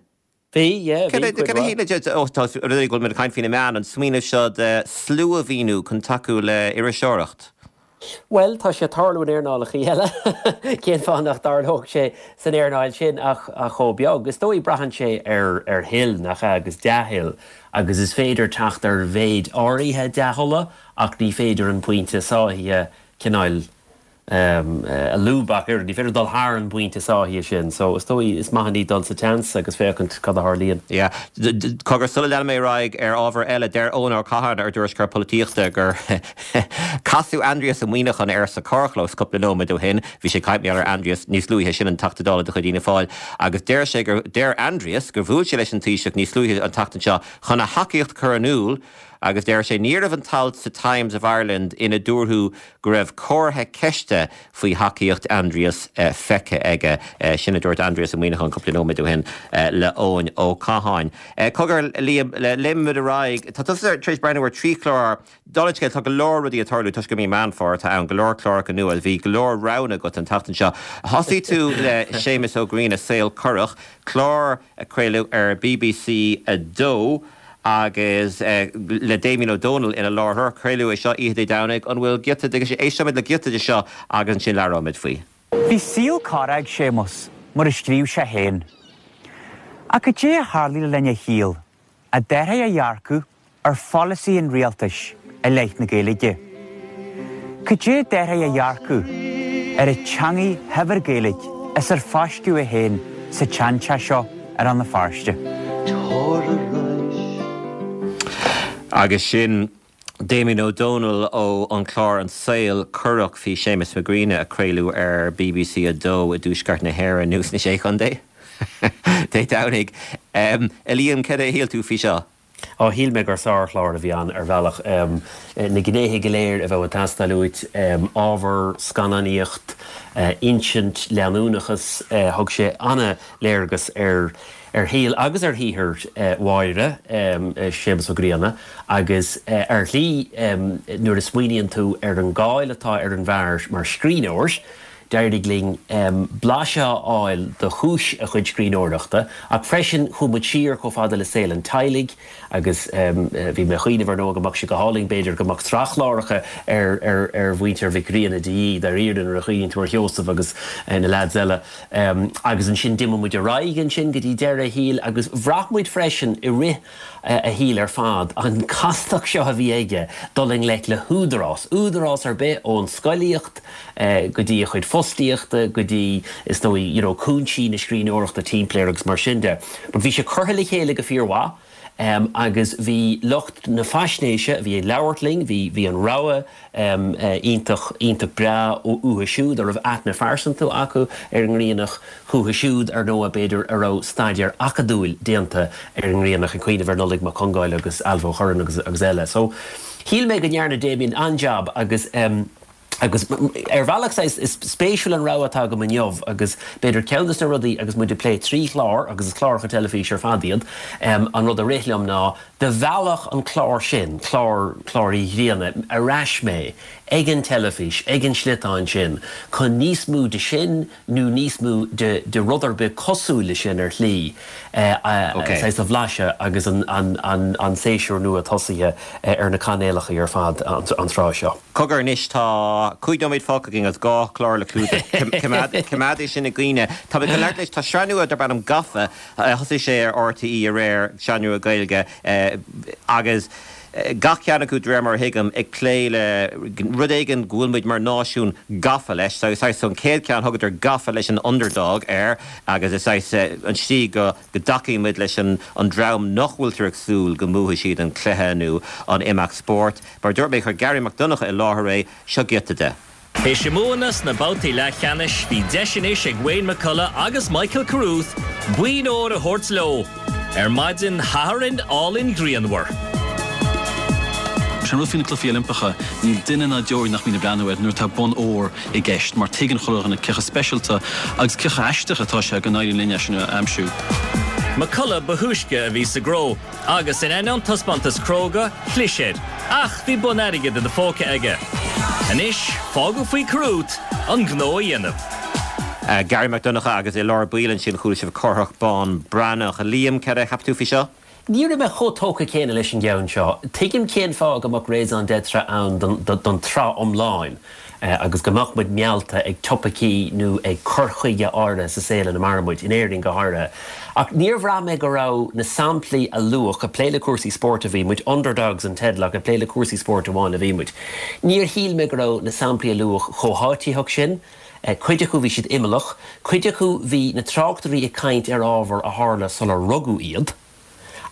Bhí, yeah, bhí, cuid Cad a mhaith. shíl ó, tá rud éigin go bhfuil muid ag caint faoi na meáin, an smaoineamh seo de sluamhaoiniú chun tacú le iriseoireacht? Bhuel, tá sé ag tarlú in earnálacha eile. Cén fáth nach dtarlódh sé san earnáil sin ach chomh beag? Is dóigh, braitheann sé ar ar thoil, nach ea, agus dea-thoil. Agus is féidir teacht ar mhéid áirithe dea-thola ach ní féidir an pointe sáithe cineáil a lúb ach oiread, ní féidir dul thar an bpointe sáithithe sin, so is dóigh is maith an ní dul sa tseans agus féachaint cad a tharlaíonn. Yeah. Cogar, sula leanfaidh mé ar aghaidh ar ábhar eile, deir Eoin Ó Catháin, ár dtuairisceoir polaitíochta, gur casadh Aindrias Ó Muimhneacháin air sa carrchlós cúpla nóiméad ó shin, bhí sé ag caint ar Aindrias níos luaithe, sin an Teachta Dála de chuid Fhianna Fáil, agus deir sé gur, deir Aindrias gur bhuail sé leis an Taoiseach níos luaithe an tseachtain seo chun a thacaíocht a chur in iúl Agus deir sé, ní raibh an t-alt sa Times of Ireland ina dúradh go raibh comhartha ceiste faoi thacaíocht Aindrias feicthe aige. Sin a dúirt Aindrias Ó Muimhneacháin cúpla nóiméad ó shin le Eoin Ó Catháin. Cogar, Liam, léimfimid ar aghaidh. Tá tusa tar éis breathnú ar trí chlár. Dála an scéil, tá go leor rudaí ag tarlú toisc gur mí Meán Fómhair atá ann, go leor cláracha nua. Bhí go leor roghanna agat an tseachtain seo. Thosaigh tú le Séamus Ó Grianna, Saol Corrach, clár a craoladh ar BBC a dó. Agus le Damien Ó Dónaill ina láithreoir, craoladh é seo oíche Dé Domhnaigh. An bhfuil giota de, éistfimid le giota de seo agus ansin labhróimid faoi. Bhí saol corrach ag Séamus, mar a scríobh sé féin. Ach cad é a tharlaigh le linn a shaoil a d'athraigh a dhearcadh ar pholasaí an rialtais i leith na Gaeilge? Cad é a d'athraigh a dhearcadh ar an teangaidh shaibhir Gaeilge as ar fáisceadh é féin sa tseanteach seo ar Rann na Feirste? Agus sin Damien Ó Dónaill ó an chlár An Saol Corrach faoi Séamus Mac Grianna a craoladh ar BBC a dó i dTuaisceart na hÉireann nó sna Sé Chontae Dé Domhnaigh. A Liam, cad é a shíl tú faoi seo? Á, shíl mé gur sárchlár a bhí ann ar bhealach. Na gnéithe go léir a bheadh ag teastáil uait, ábhar, scannánaíocht, insint, leanúnachas, thug sé an-léargas ar ar shaol agus ar shaothar Mháire, Séamus Ó Grianna, agus ar shlí nuair a smaoiníonn tú ar an gcáil atá ar an bhfear mar scríbhneoir, d'éirigh linn blaiseadh a fháil de chúis a chuid scríbhneoireachta, ach freisin chuaigh muid siar chomh fada le saol an teaghlaigh agus bhí mé ag cuimhneamh ar ndóigh go mbeadh sé go hálainn b'fhéidir go mbeadh sraith chláracha ar ar mhuintir Mhic Grianna de dhíth dáiríre nuair a chuimhníonn tú ar Sheosamh agus na leaids eile. Agus ansin d'imigh muid ar aghaidh ansin go dtí deireadh a shaoil agus bhraith muid freisin i rith a shaoil ar fad an chastacht seo a bhí aige dul i ngleic le húdarás, údarás ar bith ón scolaíocht go dtí a chuid fostaíochta go dtí is dóigh you know cúinsí na scríbhneoireachta timpeall air agus mar sin de. But bhí sé curtha le chéile go fíormhaith agus bhí lucht na faisnéise a bhí ag labhairt linn, bhí bhí an rogha iontach iontach breá uathu siúd a raibh aithne phearsanta acu ar an nGriannach, chucu siúd ar ndóigh b'fhéidir a raibh staidéar acadúil déanta ar an nGriannach, ag cuimhneamh ar Nollaig Mac Congáil agus Ailbhe Ó Curráin agus agus eile. So shíl mé go ndearna Damien an-jab agus agus ar bhealach saghas is spéisiúil an rogha atá agam inniu agus b'fhéidir ceann de na rudaí agus muid ag plé trí chlár agus is cláracha teilifíse ar fad iad, an rud a rith liom ná de bhealach an clár sin, clár clár Uí Ghrianna, ar ais mé ag an teilifís, ag an sliotán sin chun níos mó de sin nó níos mó de de rud ar bith cosúil le sin ar shlí saghas a bhlaiseadh agus an an an an séasúr nua tosaithe ar na cainéalacha ar fad an tráth seo. Cogar anois, tá cúig nóiméad fágtha againn agus dhá chlár le clúdach. Coimeád é sin i gcuimhne. Tá mé chun labhairt leis, tá sraith nua darb ainm Gafa, thosaigh sé ar RTÉ aréir, sraith nua Gaeilge, agus gach ceann acu, de réir mar a thuigim, ag plé le rud éigin go bhfuil muid mar náisiún gafa leis. So, saghas, an chéad cheann, thugadar Gafa leis an Underdog air agus is saghas an tslí go dtacaíonn muid leis an dream nach bhfuiltear ag súil go mbuafaidh siad an cluiche nó an imeacht spóirt. Mar a dúirt mé, chuir Garry Mac Donncha i láthair é, seo giota de. Théis a mbuanna sna babhtaí leathcheannais, bhí deis anois ag Wayne McCullough agus Michael Carruth boinn óir a thabhairt leo ar maidin Shathairn álainn ghrianmhar. Sé an rud faoi na Cluichí Oilimpeacha, níl duine ná deoraí nach mbíonn ag breathnú air nuair atá bonn óir i gceist mar tuigeann chuile dhuine cé chomh speisialta agus cé chomh haisteach atá sé go n-éiríonn linn é sin a aimsiú. McCullough ba thúisce a bhí sa gcró agus in ainneoin taispeántas cróga, chlis air, ach bhí bonn airgid ina phóca aige. Anois, fágadh faoi Carruth an gnó a dhéanamh. Garry Mac Donncha agus i lár baill ansin chuala sibh Cárthach Bán Breathnach. Liam, cad a cheap tú faoi seo? Ní raibh mé chomh tógtha céanna leis an gceann seo. Tuigim cén fáth go mbeadh raison d'être ann don tsraith iomlán. agus go mbeadh muid meallta ag topaicí nó ag cur chuige áirithe sa saol ina maireann muid, in Éirinn go háirithe. Ach níor bhraith mé go raibh na samplaí a luadh, ag plé le cúrsaí spóirt a bhí muid, Underdogs an teideal ach ag plé le cúrsaí spóirt amháin a bhí muid. Níor shíl mé go raibh na samplaí a luadh chomh háititheach sin, cuid acu bhí siad imeallach, cuid acu bhí na tráchtairí ag caint ar ábhar a tharla sular rugadh iad.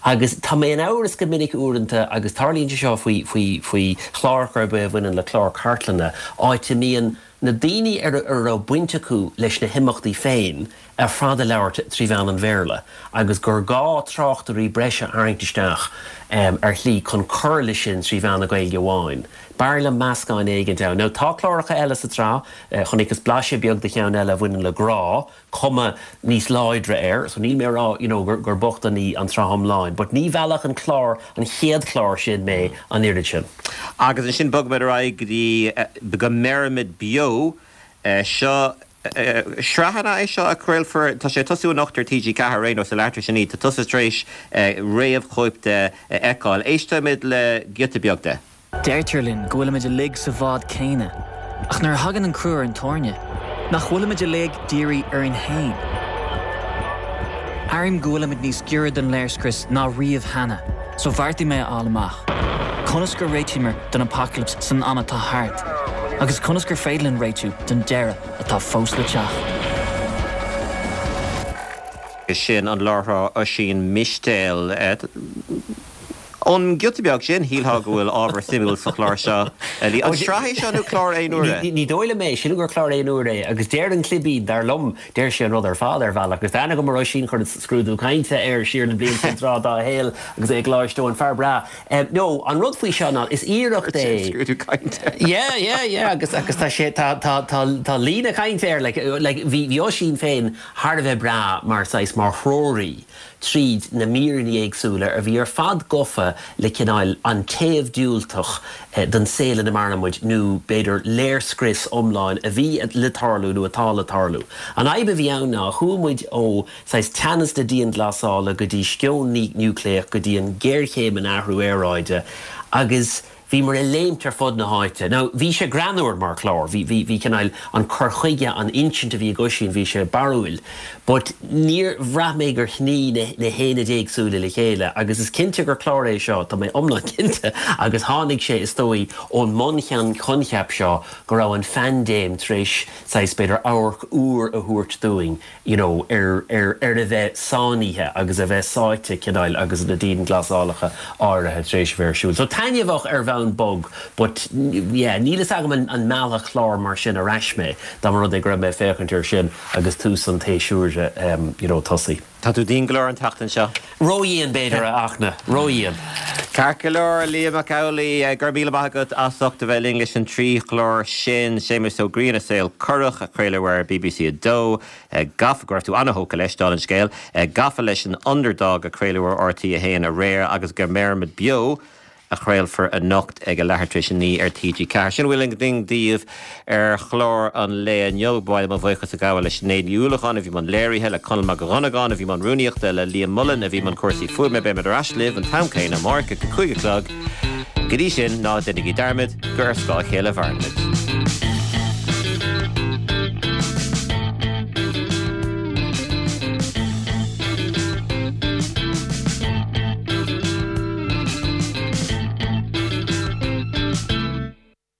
Agus tá mé in amhras go minic uaireanta, agus tarlaíonn sé seo faoi, faoi, faoi chláracha ar bith a bhaineann le clár cartlainne, áit a mbíonn na daoine ar a raibh baint acu leis na himeachtaí féin ar fad ag labhairt trí mheán an Bhéarla, agus gur gá tráchtairí breise a tharraingt isteach ar shlí chun cur leis sin trí mheán na Gaeilge amháin. B'fhearr liom meascán éigint ann. Now tá cláracha eile sa tsraith, chonaiceas blaiseadh beag de cheann eile a bhaineann le grá, cuma níos láidre air, so níl mé ag rá you know gur gur bocht an ní an tsraith iomlán, but ní mheallfadh an clár, an chéad chlár sin mé an oiread sin. Agus ansin bogfaimid ar aghaidh go dtí Go mBeirimid Beo. Seo sraith é seo a chraolfar, tá sé ag tosú anocht ar T G ceathair ar aon nós, a leathuair tar éis a naoi, tá tusa tar éis réamhchóip de a fheiceáil. Éistfimid le giota beag de. Deirtear linn go bhfuilimid uilig sa bhád céanna, ach nuair a thagann an crú ar an tairne, nach bhfuilimid uilig dírithe orainn féin? Airím go bhfuilimid níos giorra don léirscrios ná riamh cheana, so bheartaigh mé a fháil amach, conas gur réitíomar don apacailíps san am atá thart, agus conas gur féidir linn réitiú don deireadh atá fós le teacht. Sin an láithreoir Oisín Mistéil. Ón ghiota beag sin, shílfeá go bhfuil ábhar suimiúil sa chlár seo. An sraith é seo nó clár aon uaire? Ní dóigh liom é, sílim gur clár aon uaire é agus deir an clibín, dar liom, deir sé an rud ar fad ar bhealach. Agus tá aithne agam ar Oisín, chuir scrúdú cainte air siar na blianta an tráth dá shaol agus é ag Coláiste Eoin, fear breá. No, an rud faoi seo ná, is iarracht é. Scrúdú cainte. Yeah, yeah, yeah, agus agus tá sé, tá, tá, tá, tá líne chainte air, like, like, bhí, bhí Oisín féin thar a bheith breá mar saghas, mar threoraí. tríd na míreanna éagsúla a bhí ar fad gafa le cineál an taobh diúltach den saol ina maireann muid nó b'fhéidir léirscrios iomlán a bhí le tarlú nó atá le tarlú. An fhadhb a bhí ann ná chuaigh muid ó saghas teannas na dianghlasála go dtí sceon núicléach go dtí an ghéarchéim an athrú aeráide agus Bhíomar ag léimt ar fud na háite. Now, bhí sé greannmhar mar chlár, bhí, bhí, bhí cineál an cur chuige, an insint a bhí ag Oisín, bhí sé barrúil. But níor bhraith mé gur shnoigh na, na haonaid éagsúla le chéile agus is cinnte gur clár é seo, tá mé iomlán cinnte, agus tháinig sé, is dóigh, ón mbunchoincheap seo go raibh an phaindéim tar éis saghas, b'fhéidir, amharc úr a thabhairt dúinn. you know ar ar ar a bheith sáinnithe agus a bheith sáite cineál agus na dianghlasálacha áirithe tar éis a bheith ar siúl. So taitneamhach ar bhonn bog but yeah níl fhios agam an an meallfadh clár mar sin ar ais mé dá mba rud é go raibh mé ag féachaint air sin agus tús an tséasúir um you know tosaithe. Tá tú dian go leor an tseachtain seo. Ródhian b'fhéidir a Fhachtna, ródhian. Ceart go leor, Liam Mac Amhlaigh, go raibh míle maith agat as ucht a bheith linn leis an trí chlár sin, Séamus Ó Grianna, Saol Corrach, a craoladh ar B B C a dó, Gafa, go raibh tú an-thógtha leis, dála an scéil, Gafa leis an Underdog a craoladh ar R T a haon aréir agus Go mBeirimid Beo a chraolfar anocht ag a leathuair tar éis a naoi ar T G ceathair. Sin a bhfuil againn daoibh ar chlár an lae inniu. Ba mhaith liom mo bhuíochas a ghabháil le Sinéad Ní Uallacháin a bhí i mbun léirithe, le Conall Mac Dhonnagáin a bhí i mbun rúnaíochta, le Liam Mullen a bhí i mbun cúrsaí fuaime. Beimid ar ais libh an t-am céanna amárach ag a cúig a chlog. Go dtí sin, ná déanaigí dearmad gur ar scáth a chéile a mhaireann muid.